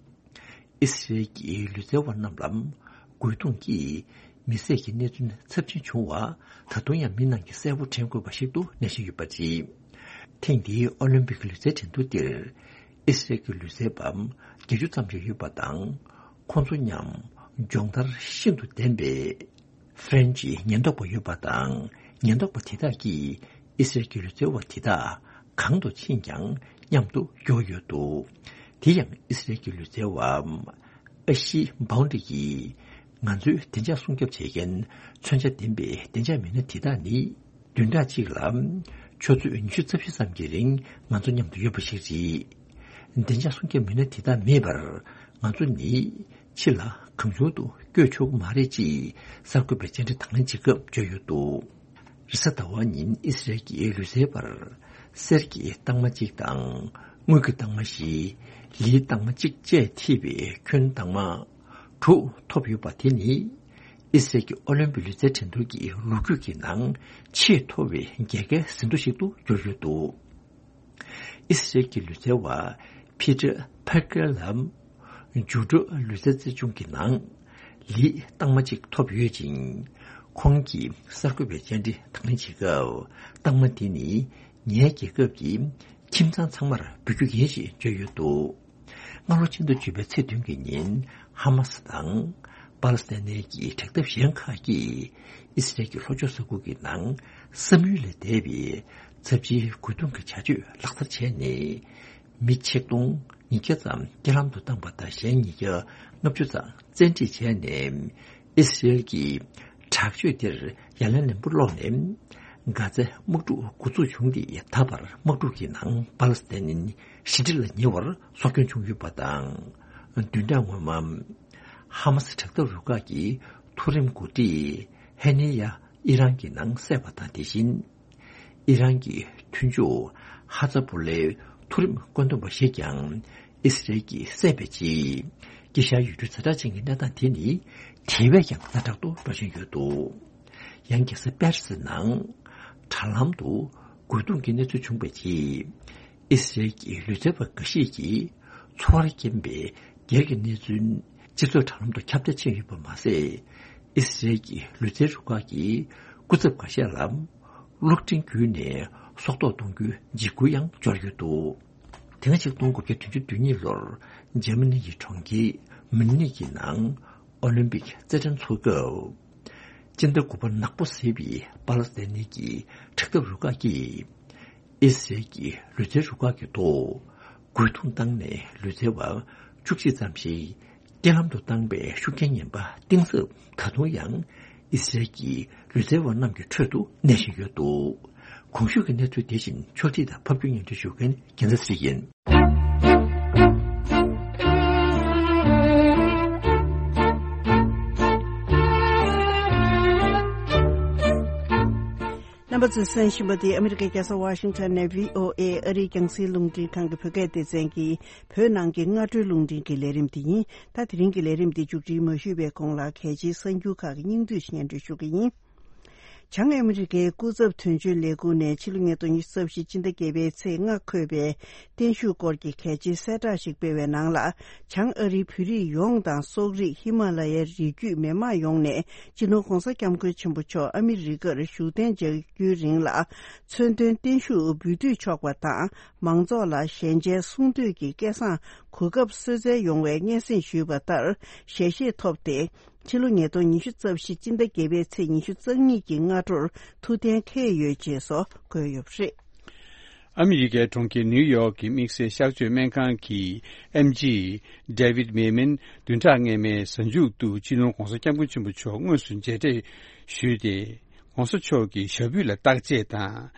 ཨི་སི་རལ་གྱི་ལུས་རྩལ་བ་རྣམས་ལ་རྒོལ་རྡུང་གིས་མི་བསད་ཀྱི་གནས་ཚུལ་ཚབས་ཆེན་བྱུང་བ་ད་དུང་ཡང་མི་རྣམས་ཀྱིས་གསལ་པོ་དྲན་དགོས་པ་ཞིག་ཏུ་གནས་བཞིན་ཡོད་པ་རེད། ཐེངས་འདིའི་ཨོ་ལིམ་པིག་ལུས་རྩལ་འགྲན་བསྡུར་འདིར་ཨི་སི་རལ་གྱི་ལུས་རྩལ་པ་བརྒྱད་ཅུ་ཙམ་ཞིག་ཡོད་པ་དང་། ཁོང་ཚོ་མཉམ་སྦྱོང་བརྡར་ཤིན་ཏུ་ལྡན་པའི་ཧྥ་རན་ཇིའི་ཉེན་རྟོག་པ་ཡོད་པ་དང་། ཉེན་རྟོག་པ་དེ་དག་གིས་ཨི་སི་རལ་གྱི་ལུས་རྩལ་བ་དེ་དག་གང་དུ་ཕྱིན་ཀྱང་མཉམ་དུ་འགྲོ་ཡོད་འདུག་དེ་ཡང་ཨི་སི་རལ་གྱི་ལུས་རྩལ་བ་ཨ་ཤི་བྷའོན་ཌི་ཡིས། ང་ཚོའི་བདེ་འཇགས་སྲུང་སྐྱོབ་བྱེད་མཁན་མཚོན་ཆ་ལྡན་པའི་བདེ་འཇགས་མི་སྣ་དེ་དག་ནི། བདུན་ཕྲག་གཅིག་ལ་ཆུ་ཚོད་ཉི་ཤུ་རྩ་བཞི་ཙམ་གྱི་རིང་ང་ཚོ་མཉམ་དུ་ཡོད་པ་ཞིག་རེད། བདེ་འཇགས་སྲུང་སྐྱོབ་མི་སྣ་དེ་དག་མེད་པར་ང་ཚོ་ནི་ཕྱི་ལ་གང་བྱུང་དུ་བསྐྱོད་ཆོག་གི་མ་རེད་ཅེས་གསར་འགོད་པའི་བཅར་འདྲི་དང་ལེན་བྱེད་སྐབས་བརྗོད་ཡོད་འདུག་རེས་གཟའ་ཟླ་བ་ཉིན་ཨི་སི་རལ་གྱི་ལུས་རྩལ་པར་གསེར་གྱི་རྟགས་མ་གཅིག་དང་། དངུལ་གྱི་རྟགས་མ་བཞི། ལིའི་རྟགས་མ་གཅིག་བཅས་ཐེབས་པའི་ཁྱོན་རྟགས་མ་དྲུག་ཐོབ་ཡོད་པ་དེ་ནི། ཨི་སི་རལ་གྱི་ཨོ་ལིམ་པིག་ལུས་རྩལ་འགྲན་བསྡུར་གྱི་ལོ་རྒྱུས་ཀྱི་ནང་ཆེས་མཐོ་བའི་རྒྱལ་ཁའི་ཟིན་ཐོ་ཞིག་ཏུ་གྱུར་ཡོད་འདུག་ཨི་སི་རལ་གྱི་ལུས་རྩལ་བ་ཕི་ཏྲ་ཕར་ཀེར་ལ་འཇུག་སྒྲོལ་ལུས་རྩལ་རྩེད་གཞུང་གི་ནང་ལིའི་རྟགས་མ་གཅིག་ཐོབ་ཡོད་ཅིང་། ཁོང་གིས་གསར་འགོད་པའི་བཅར་འདྲི་དང་ལེན་བྱེད་སྐབས། རྟགས་མ་འདི་ནི་ངའི་རྒྱལ་ཁབ་ཀྱི་ཁྱིམ་ཚང་ཚང་མར་འབུལ་རྒྱུ་ཡིན་ཞེས་བརྗོད་ཡོད་འདུག་སྔ་ལོ་ཕྱི་ཟླ་བཅུ་པའི་ཚེས་བདུན་གྱི་ཉིན། ཧ་མ་སི་དང་པ་ལི་སི་ཐན་གྱི་དྲག་འཐབ་གཞན་ཁག་གིས་ཨི་སི་རལ་གྱི་ལྷོ་ཕྱོགས་ས་ཁུལ་གྱི་ནང་བསམ་ཡུལ་ལས་འདས་པའི་ཚབས་ཆེའི་རྒོལ་རྡུང་གི་བྱ་སྤྱོད་ལག་བསྟར་བྱས་ནས། མི་ཆིག་སྟོང་ཉིས་བརྒྱ་ཙམ་རྐྱེན་ལམ་དུ་བཏང་པ་དང་། གཞན་ཉིས་བརྒྱ་ལྔ་བཅུ་ཙམ་བཙན་ཁྲིད་བྱས་ནས། ཨི་སི་རལ་གྱི་ དྲག་སྤྱོད་དེར་ཡ་ལན་ལན་པོ་སློག་ནས། གྷ་ཛའི་དམག་འཁྲུག་འགོ་འཛུགས་བྱུང་སྟེ་ད་བར་དམག་འཁྲུག་གི་ནང་པ་ལི་སི་ཐན་ནི་ཞི་འགྲིག་ལ་ཉེ་བར་སྲོག་སྐྱོན་བྱུང་ཡོད་པ་དང་། བདུན་ཕྲག་སྔོན་མ། ཧ་མ་སི་དྲག་འཐབ་རུ་ཁག་གི་མཐོ་རིམ་འགོ་ཁྲིད་ཧེ་ནི་ཡ་ཨི་རན་གྱི་ནང་བསད་པ་དང་། དེ་བཞིན། ཨི་རན་གྱི་མཐུན་ཕྱོགས་ཧ་ཛ་བུ་ལའི་མཐོ་རིམ་བཀོད་འདོམས་པ་ཞིག་ཀྱང་ཨི་སི་རེལ་གྱིས་བསད་པའི་རྗེས། དཀྱིལ་ཤར་ཡུལ་གྲུའི་ཛ་དྲག་ཅན་གྱི་གནས་སྟངས་དེ་ནི་དེ་བས་ཀྱང་ཛ་དྲག་ཏུ་འགྲོ་བཞིན་ཡོད་འདུག། ཡང་རྒྱལ་ས་པེ་རི་སི་ནང་དྲ་ལམ་དུ་རྒོལ་རྡུང་གི་གནས་ཚུལ་བྱུང་བའི་རྗེས། ཨི་སི་རེལ་གྱི་ལུས་རྩལ་བ་འགའ་ཤས་ཀྱིས་འཚོ་བར་རྐྱེན་པའི་སྒེར་གྱི་གནས་ཚུལ་སྤྱི་ཚོགས་དྲ་ལམ་དུ་ཁྱབ་གདལ་ཕྱིན་ཡོད་པ་མ་ཟད། ཨི་སི་རེལ་གྱི་ལུས་རྩལ་རུ་ཁག་གིས་སྐུ་ཚབ་འགའ་ཤས་ལ་གློག་འཕྲིན་བརྒྱུད་ནས་སྲོག་ཐོག་གཏོང་རྒྱུའི་འཇིགས་སྐུལ་ཡང་འབྱོར་ཡོད་འདུག། དེ་སྔ་ཆིག་སྟོང་དགུ་བརྒྱ་བདུན་ཅུ་དོན་གཉིས་ལོར་འཇར་མ་ནི་ཡི་གྲོང་ཁྱེར་མིའུ་ནིག་གི་ནང་ཨོ་ལིམ་པིག་རྩེད་འགྲན་འཚོགས་སྐབས། སྤྱི་ཟླ་དགུ་པ་ནག་པོ་གཟིགས་པའི་པ་ལ་སི་ཐན་ནི་གི་དྲག་འཐབ་རུ་ཁག་གིས། ཨི་སི་རེལ་གྱི་ལུས་རྩལ་རུ་ཁག་གི་ཐོག་རྒོལ་རྡུང་བཏང་ནས་ལུས་རྩལ་བ་བཅུ་གཅིག་ཙམ་ཞིག་རྐྱེན་ལམ་དུ་བཏང་བའི་ཤུགས་རྐྱེན་ངན་པ་གཏིང་ཟབ་ད་དུང་ཡང་ཨི་སི་རེལ་གྱི་ལུས་རྩལ་བ་རྣམས་ཀྱི་ཁྲོད་དུ་གནས་བཞིན་ཡོད་འདུག། གོང་ཞུས་ཀྱི་གནས་ཚུལ་དེ་བཞིན་ཕྱོགས་སྒྲིག་དང་ཕབ་སྒྱུར་སྙན་སྒྲོན་ཞུ་མཁན་རྒྱལ་མཚན་ཚེ་རིང་ཡིན། རྣམ་པ་ཚོས་གསན་བཞིན་པ་འདི་ཨ་མི་རི་ཀའི་རྒྱལ་ས་ཝ་ཤིང་ཊོན་ནས་བྷི་ཨོ་ཨེ་ཨ་རིའི་རྒྱང་སྲིང་རླུང་འཕྲིན་ཁང་གི་བོད་སྐད་སྡེ་ཚན་གྱི་བོད་ནང་གི་སྔ་དྲོའི་རླུང་འཕྲིན་གྱི་ལས་རིམ་དེ་ཡིན། ད་དེ་རིང་གི་ལས་རིམ་འདི་མཇུག་སྒྲིལ་མ་ཞུས་པའི་གོང་ལ་གལ་ཆེའི་གསར་འགྱུར་ཁག་གི་སྙིང་བསྡུས་སྙན་སྒྲོན་ཞུ་གི་ཡིན། བྱང་ཨ་མི་རི་ཀའི་སྐུ་ཚབ་དོན་གཅོད་ལས་ཁུངས་ནས་ཕྱི་ལོ་ཉིས་སྟོང་ཉི་ཤུ་རྩ་བཞི་སྤྱི་ཟླ་བརྒྱད་པའི་ཚེས་ལྔ་འཁོད་པའི་བརྟན་བཞུགས་སྐོར་གྱི་གལ་ཆེའི་གསལ་བསྒྲགས་ཤིག་སྤེལ་བའི་ནང་ལ། བྱང་ཨ་རིའི་བོད་རིགས་ཡོངས་དང་སོག་རིགས་ཧི་མ་ལ་ཡའི་རི་རྒྱུད་མི་མང་ཡོངས་ནས་སྤྱི་ནོར་༧གོང་ས་༧སྐྱབས་མགོན་ཆེན་པོ་མཆོག་ཨ་མི་རི་ཀར་བཞུགས་གདན་འཇགས་རྒྱུའི་རིང་ལ་མཚོན་དོན་བརྟན་བཞུགས་འབུལ་སྡུད་ཆོག་པ་དང་། མང་ཚོགས་ལ་ཞལ་མཇལ་གསུང་ཐོས་ཀྱི་སྐལ་བཟང་གོ་སྐབས་གསོལ་སྩལ་ཡོང་བའི་སྙན་སེང་ཞུས་པ་ལྟར་ཞལ་བཞེས་ཐོབ་སྟེ། ཕྱི་ལོ་ཉིས་སྟོང་ཉི་ཤུ་རྩ་བཞི་སྤྱི་ཟླ་བརྒྱད་པའི་ཚེས་ཉི་ཤུ་རྩ་གཉིས་ཀྱི་སྔ་དྲོར་ཐུགས་གཏན་འཁེལ་ཡོད་ཅེས་སོགས་བཀོད་ཡོད་པ་རེད། ཨ་མི་རི་ཀའི་གྲོང་ཁྱེར་ནིའུ་ཡོག་གི་དམིགས་བསལ་གཤགས་བཅོས་སྨན་ཁང་གི་ཨེམ་ཆི་David Maimin བདུན་ཕྲག་སྔ་མའི་གཟའ་མཇུག་ཏུ་སྤྱི་ནོར་༧གོང་ས་༧སྐྱབས་མགོན་ཆེན་པོ་མཆོག་དངོས་སུ་མཇལ་འཕྲད་ཞུས་ཏེ། ༧གོང་ས་མཆོག་གི་ཞབས་པུས་ལ་བརྟག་དཔྱད་དང་།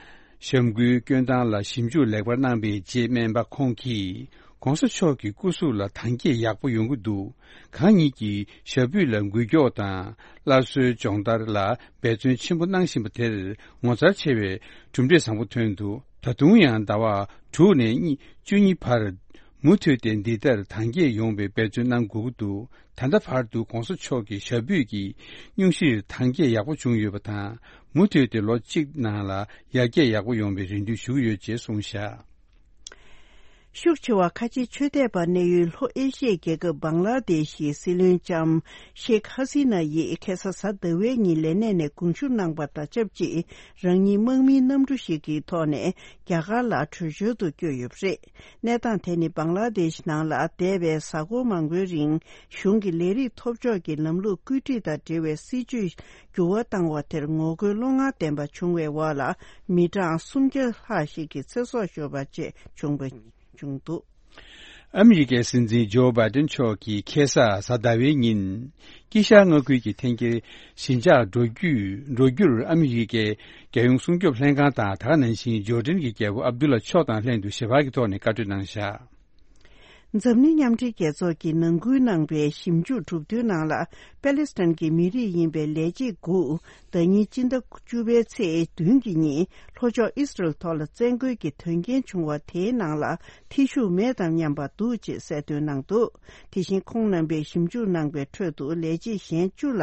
ཞབས་འགུལ་སྐྱོན་སྟངས་ལ་ཞིབ་འཇུག་ལེགས་པར་གནང་བའི་རྗེས་སྨན་པ་ཁོང་གིས་༧གོང་ས་མཆོག་གི་སྐུ་གཟུགས་ལ་དྭངས་སྐྱེད་ཡག་པོ་ཡོང་གི་འདུག། གང་ཉིད་ཀྱིས་ཞབས་པུས་ལ་འགུལ་སྐྱོད་དང་སླར་གསོའི་སྦྱོང་བརྡར་ལ་འབད་བརྩོན་ཆེན་པོ་གནང་བཞིན་པ་དེར་ངོ་མཚར་ཆེ་བའི་གྲུབ་འབྲས་བཟང་པོ་ཐོན་འདུག། ད་དུང་ཡང་ཟླ་བ་དྲུག་ནས་གཉིས་བཅུ་གཉིས་བར་མུ་མཐུད་དེ་འདི་ལྟར་དྭངས་སྐྱེད་ཡོང་བའི་འབད་བརྩོན་གནང་དགོས་ཀྱི་འདུག། ད་ལྟ་བར་དུ་༧གོང་ས་མཆོག་གི་ཞབས་པུས་ཀྱི་སྙུང་གཞིར་དྭངས་སྐྱེད་ཡག་པོ་བྱུང་ཡོད་པ་དང་། མུ་མཐུད་དེ་ལོ་གཅིག་ནང་ལ་ཡར་རྒྱས་ཡག་པོ་ཡོང་བའི་རེ་འདུན་ཞུ་གི་ཡོད་ཅེས་གསུངས་བཞག། ཤུགས་ཆེ་བ་ཁ་ཆེའི་ཆོས་དད་པ་གནས་ཡུལ་ལྷོ་ཨེ་ཤི་ཡའི་རྒྱལ་ཁབ་བང་ལ་དེཤ་གི་སྲིད་བློན་ལྕམ་ཤེག་ཧ་སི་ན་ཡིས་ཁ་སང་གཟའ་ཟླ་བའི་ཉིན་ལས་གནས་ནས་དགོངས་ཞུ་གནང་པ་དང་ཆབས་ཅིག་རང་ཉིད་དམག་མིའི་གནམ་གྲུ་ཞིག་གི་ཐོག་ནས་རྒྱ་གར་ལ་བྲོས་བྱོལ་དུ་བསྐྱོད་ཡོད་པ་རེད། གནས་སྟངས་དེ་ནི་བང་ལ་དེཤ་ནང་ལ་འདས་པའི་གཟའ་འཁོར་མང་པོའི་རིང་གཞུང་གི་ལས་རིགས་ཐོབ་ཕྱོགས་ཀྱི་ལམ་ལུགས་བཀོད་སྒྲིག་དང་འབྲེལ་བའི་སྲིད་ཇུས་འགྱུར་བ་བཏང་བ་དེར་ངོ་རྒོལ་བློ་ངར་ལྡན་པ་བྱུང་བའི་འོག་ལ་མི་གྲངས་སུམ་བརྒྱ་ལྷག་ཞིག་གི་ཚེ་སྲོག་ཤོར་བ་བཅས་བྱུང་བ་བྱུང་འདུག། ཨ་མི་རི་ཀའི་སྲིད་འཛིན་ཇོ་བྷའི་ཏན་མཆོག་གིས་ཁ་སང་གཟའ་ཟླ་བའི་ཉིན། དཀྱིལ་ཤར་མངའ་ཁུལ་གྱི་འཐེན་འཁྱེར་ཞི་འཇགས་འགྲོ་རྒྱུ་འགྲོ་རྒྱུར་ཨ་མི་རི་ཀའི་རྒྱལ་ཡོངས་སྲུང་སྐྱོབ་ལྷན་ཁང་དང་། ད་ག་ནང་བཞིན་ཇོར་ཌན་གྱི་རྒྱལ་པོ་ཨབ་དུ་ལ་མཆོག་དང་ལྷན་དུ་ཞལ་པར་གྱི་ཐོག་ནས་བཀའ་གྲོས་གནང་བཞག། འཛམ་གླིང་མཉམ་འབྲེལ་རྒྱལ་ཚོགས་ཀྱིས་ནང་ཁུལ་གནང་པའི་ཞིབ་འཇུག་གྲུབ་དོན་ནང་ལ། པེ་ལེ་སི་ཐན་གྱི་མི་རིགས་ཡིན་པའི་ལས་བྱེད་དགུ། ཟླ་ཉིན་སྤྱི་ཟླ་བཅུ་པའི་ཚེས་བདུན་གྱི་ཉིན་ལྷོ་ཕྱོགས་ཨི་སི་རལ་ཐོག་ལ་བཙན་རྒོལ་གྱི་དོན་རྐྱེན་བྱུང་བ་དེའི་ནང་ལ་ཐེ་ཞུགས་མེད་དམ་སྙམ་པ་འདུག་ཅེས་གསལ་སྟོན་གནང་འདུག། དེ་བཞིན་ཁོང་རྣམ་པས་ཞིབ་འཇུག་གནང་པའི་ཁྲོད་དུ་ལས་བྱེད་གཞན་བཅུ་ལ་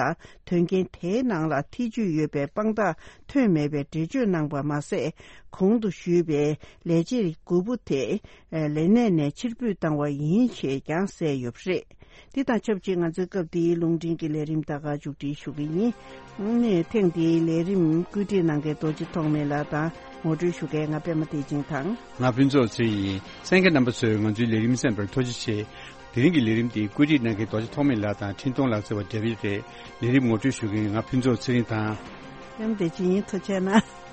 དོན་རྐྱེན་དེའི་ནང་ལ་ཐེ་ཇུས་ཡོད་པའི་དཔང་རྟགས་ཐོན་མེད་པའི་འགྲེལ་བརྗོད་གནང་པ་མ་ཟད། གོང་དུ་ཞུས་པའི་ལས་བྱེད་དགུ་པོ་དེ་ལས་གནས་ནས་ཕྱིར་འབུད་བཏང་བ་ཡིན་ཞེས་ཀྱང་གསལ་ཡོད་པ་རེད། འདི་དང་ཆབས་ཅིག་ང་ཚོའི་སྐབས་འདིའི་རླུང་འཕྲིན་གྱི་ལས་རིམ་ད་ག་མཇུག་སྒྲིལ་ཞུ་གི་ཡིན། ཨང་ནས་ཐེངས་འདིའི་ལས་རིམ་བཀོད་སྒྲིག་གནང་མཁན་རྡོ་རྗེ་ཐོགས་མེད་ལགས་དང་ངོ་སྤྲོད་ཞུ་མཁན་ང་པད་མ་བདེ་ཆེན་དང་། ང་ཕུན་ཚོགས་ཚེ་རིང་ཡིན། གསན་མཁན་རྣམ་པ་ཚོས་ང་ཚོའི་ལས་རིམ་གསན་པར་ཐུགས་རྗེ་ཆེ། དེ་རིང་གི་ལས་རིམ་འདི་བཀོད་སྒྲིག་གནང་མཁན་རྡོ་རྗེ་ཐོགས་མེད་ལགས་དང་འཕྲིན་གཏོང་ལག་རྩལ་བ་བགྲེས་པ་རེད། ལས་རིམ་ངོ་སྤྲོད་ཞུ་མཁན་ང་ཕུན་ཚོགས་ཚེ་རིང་དང་། པད་མ་བདེ་ཆེན་ཡིན། ཐུགས་རྗེ་གནང་།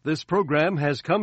This program has come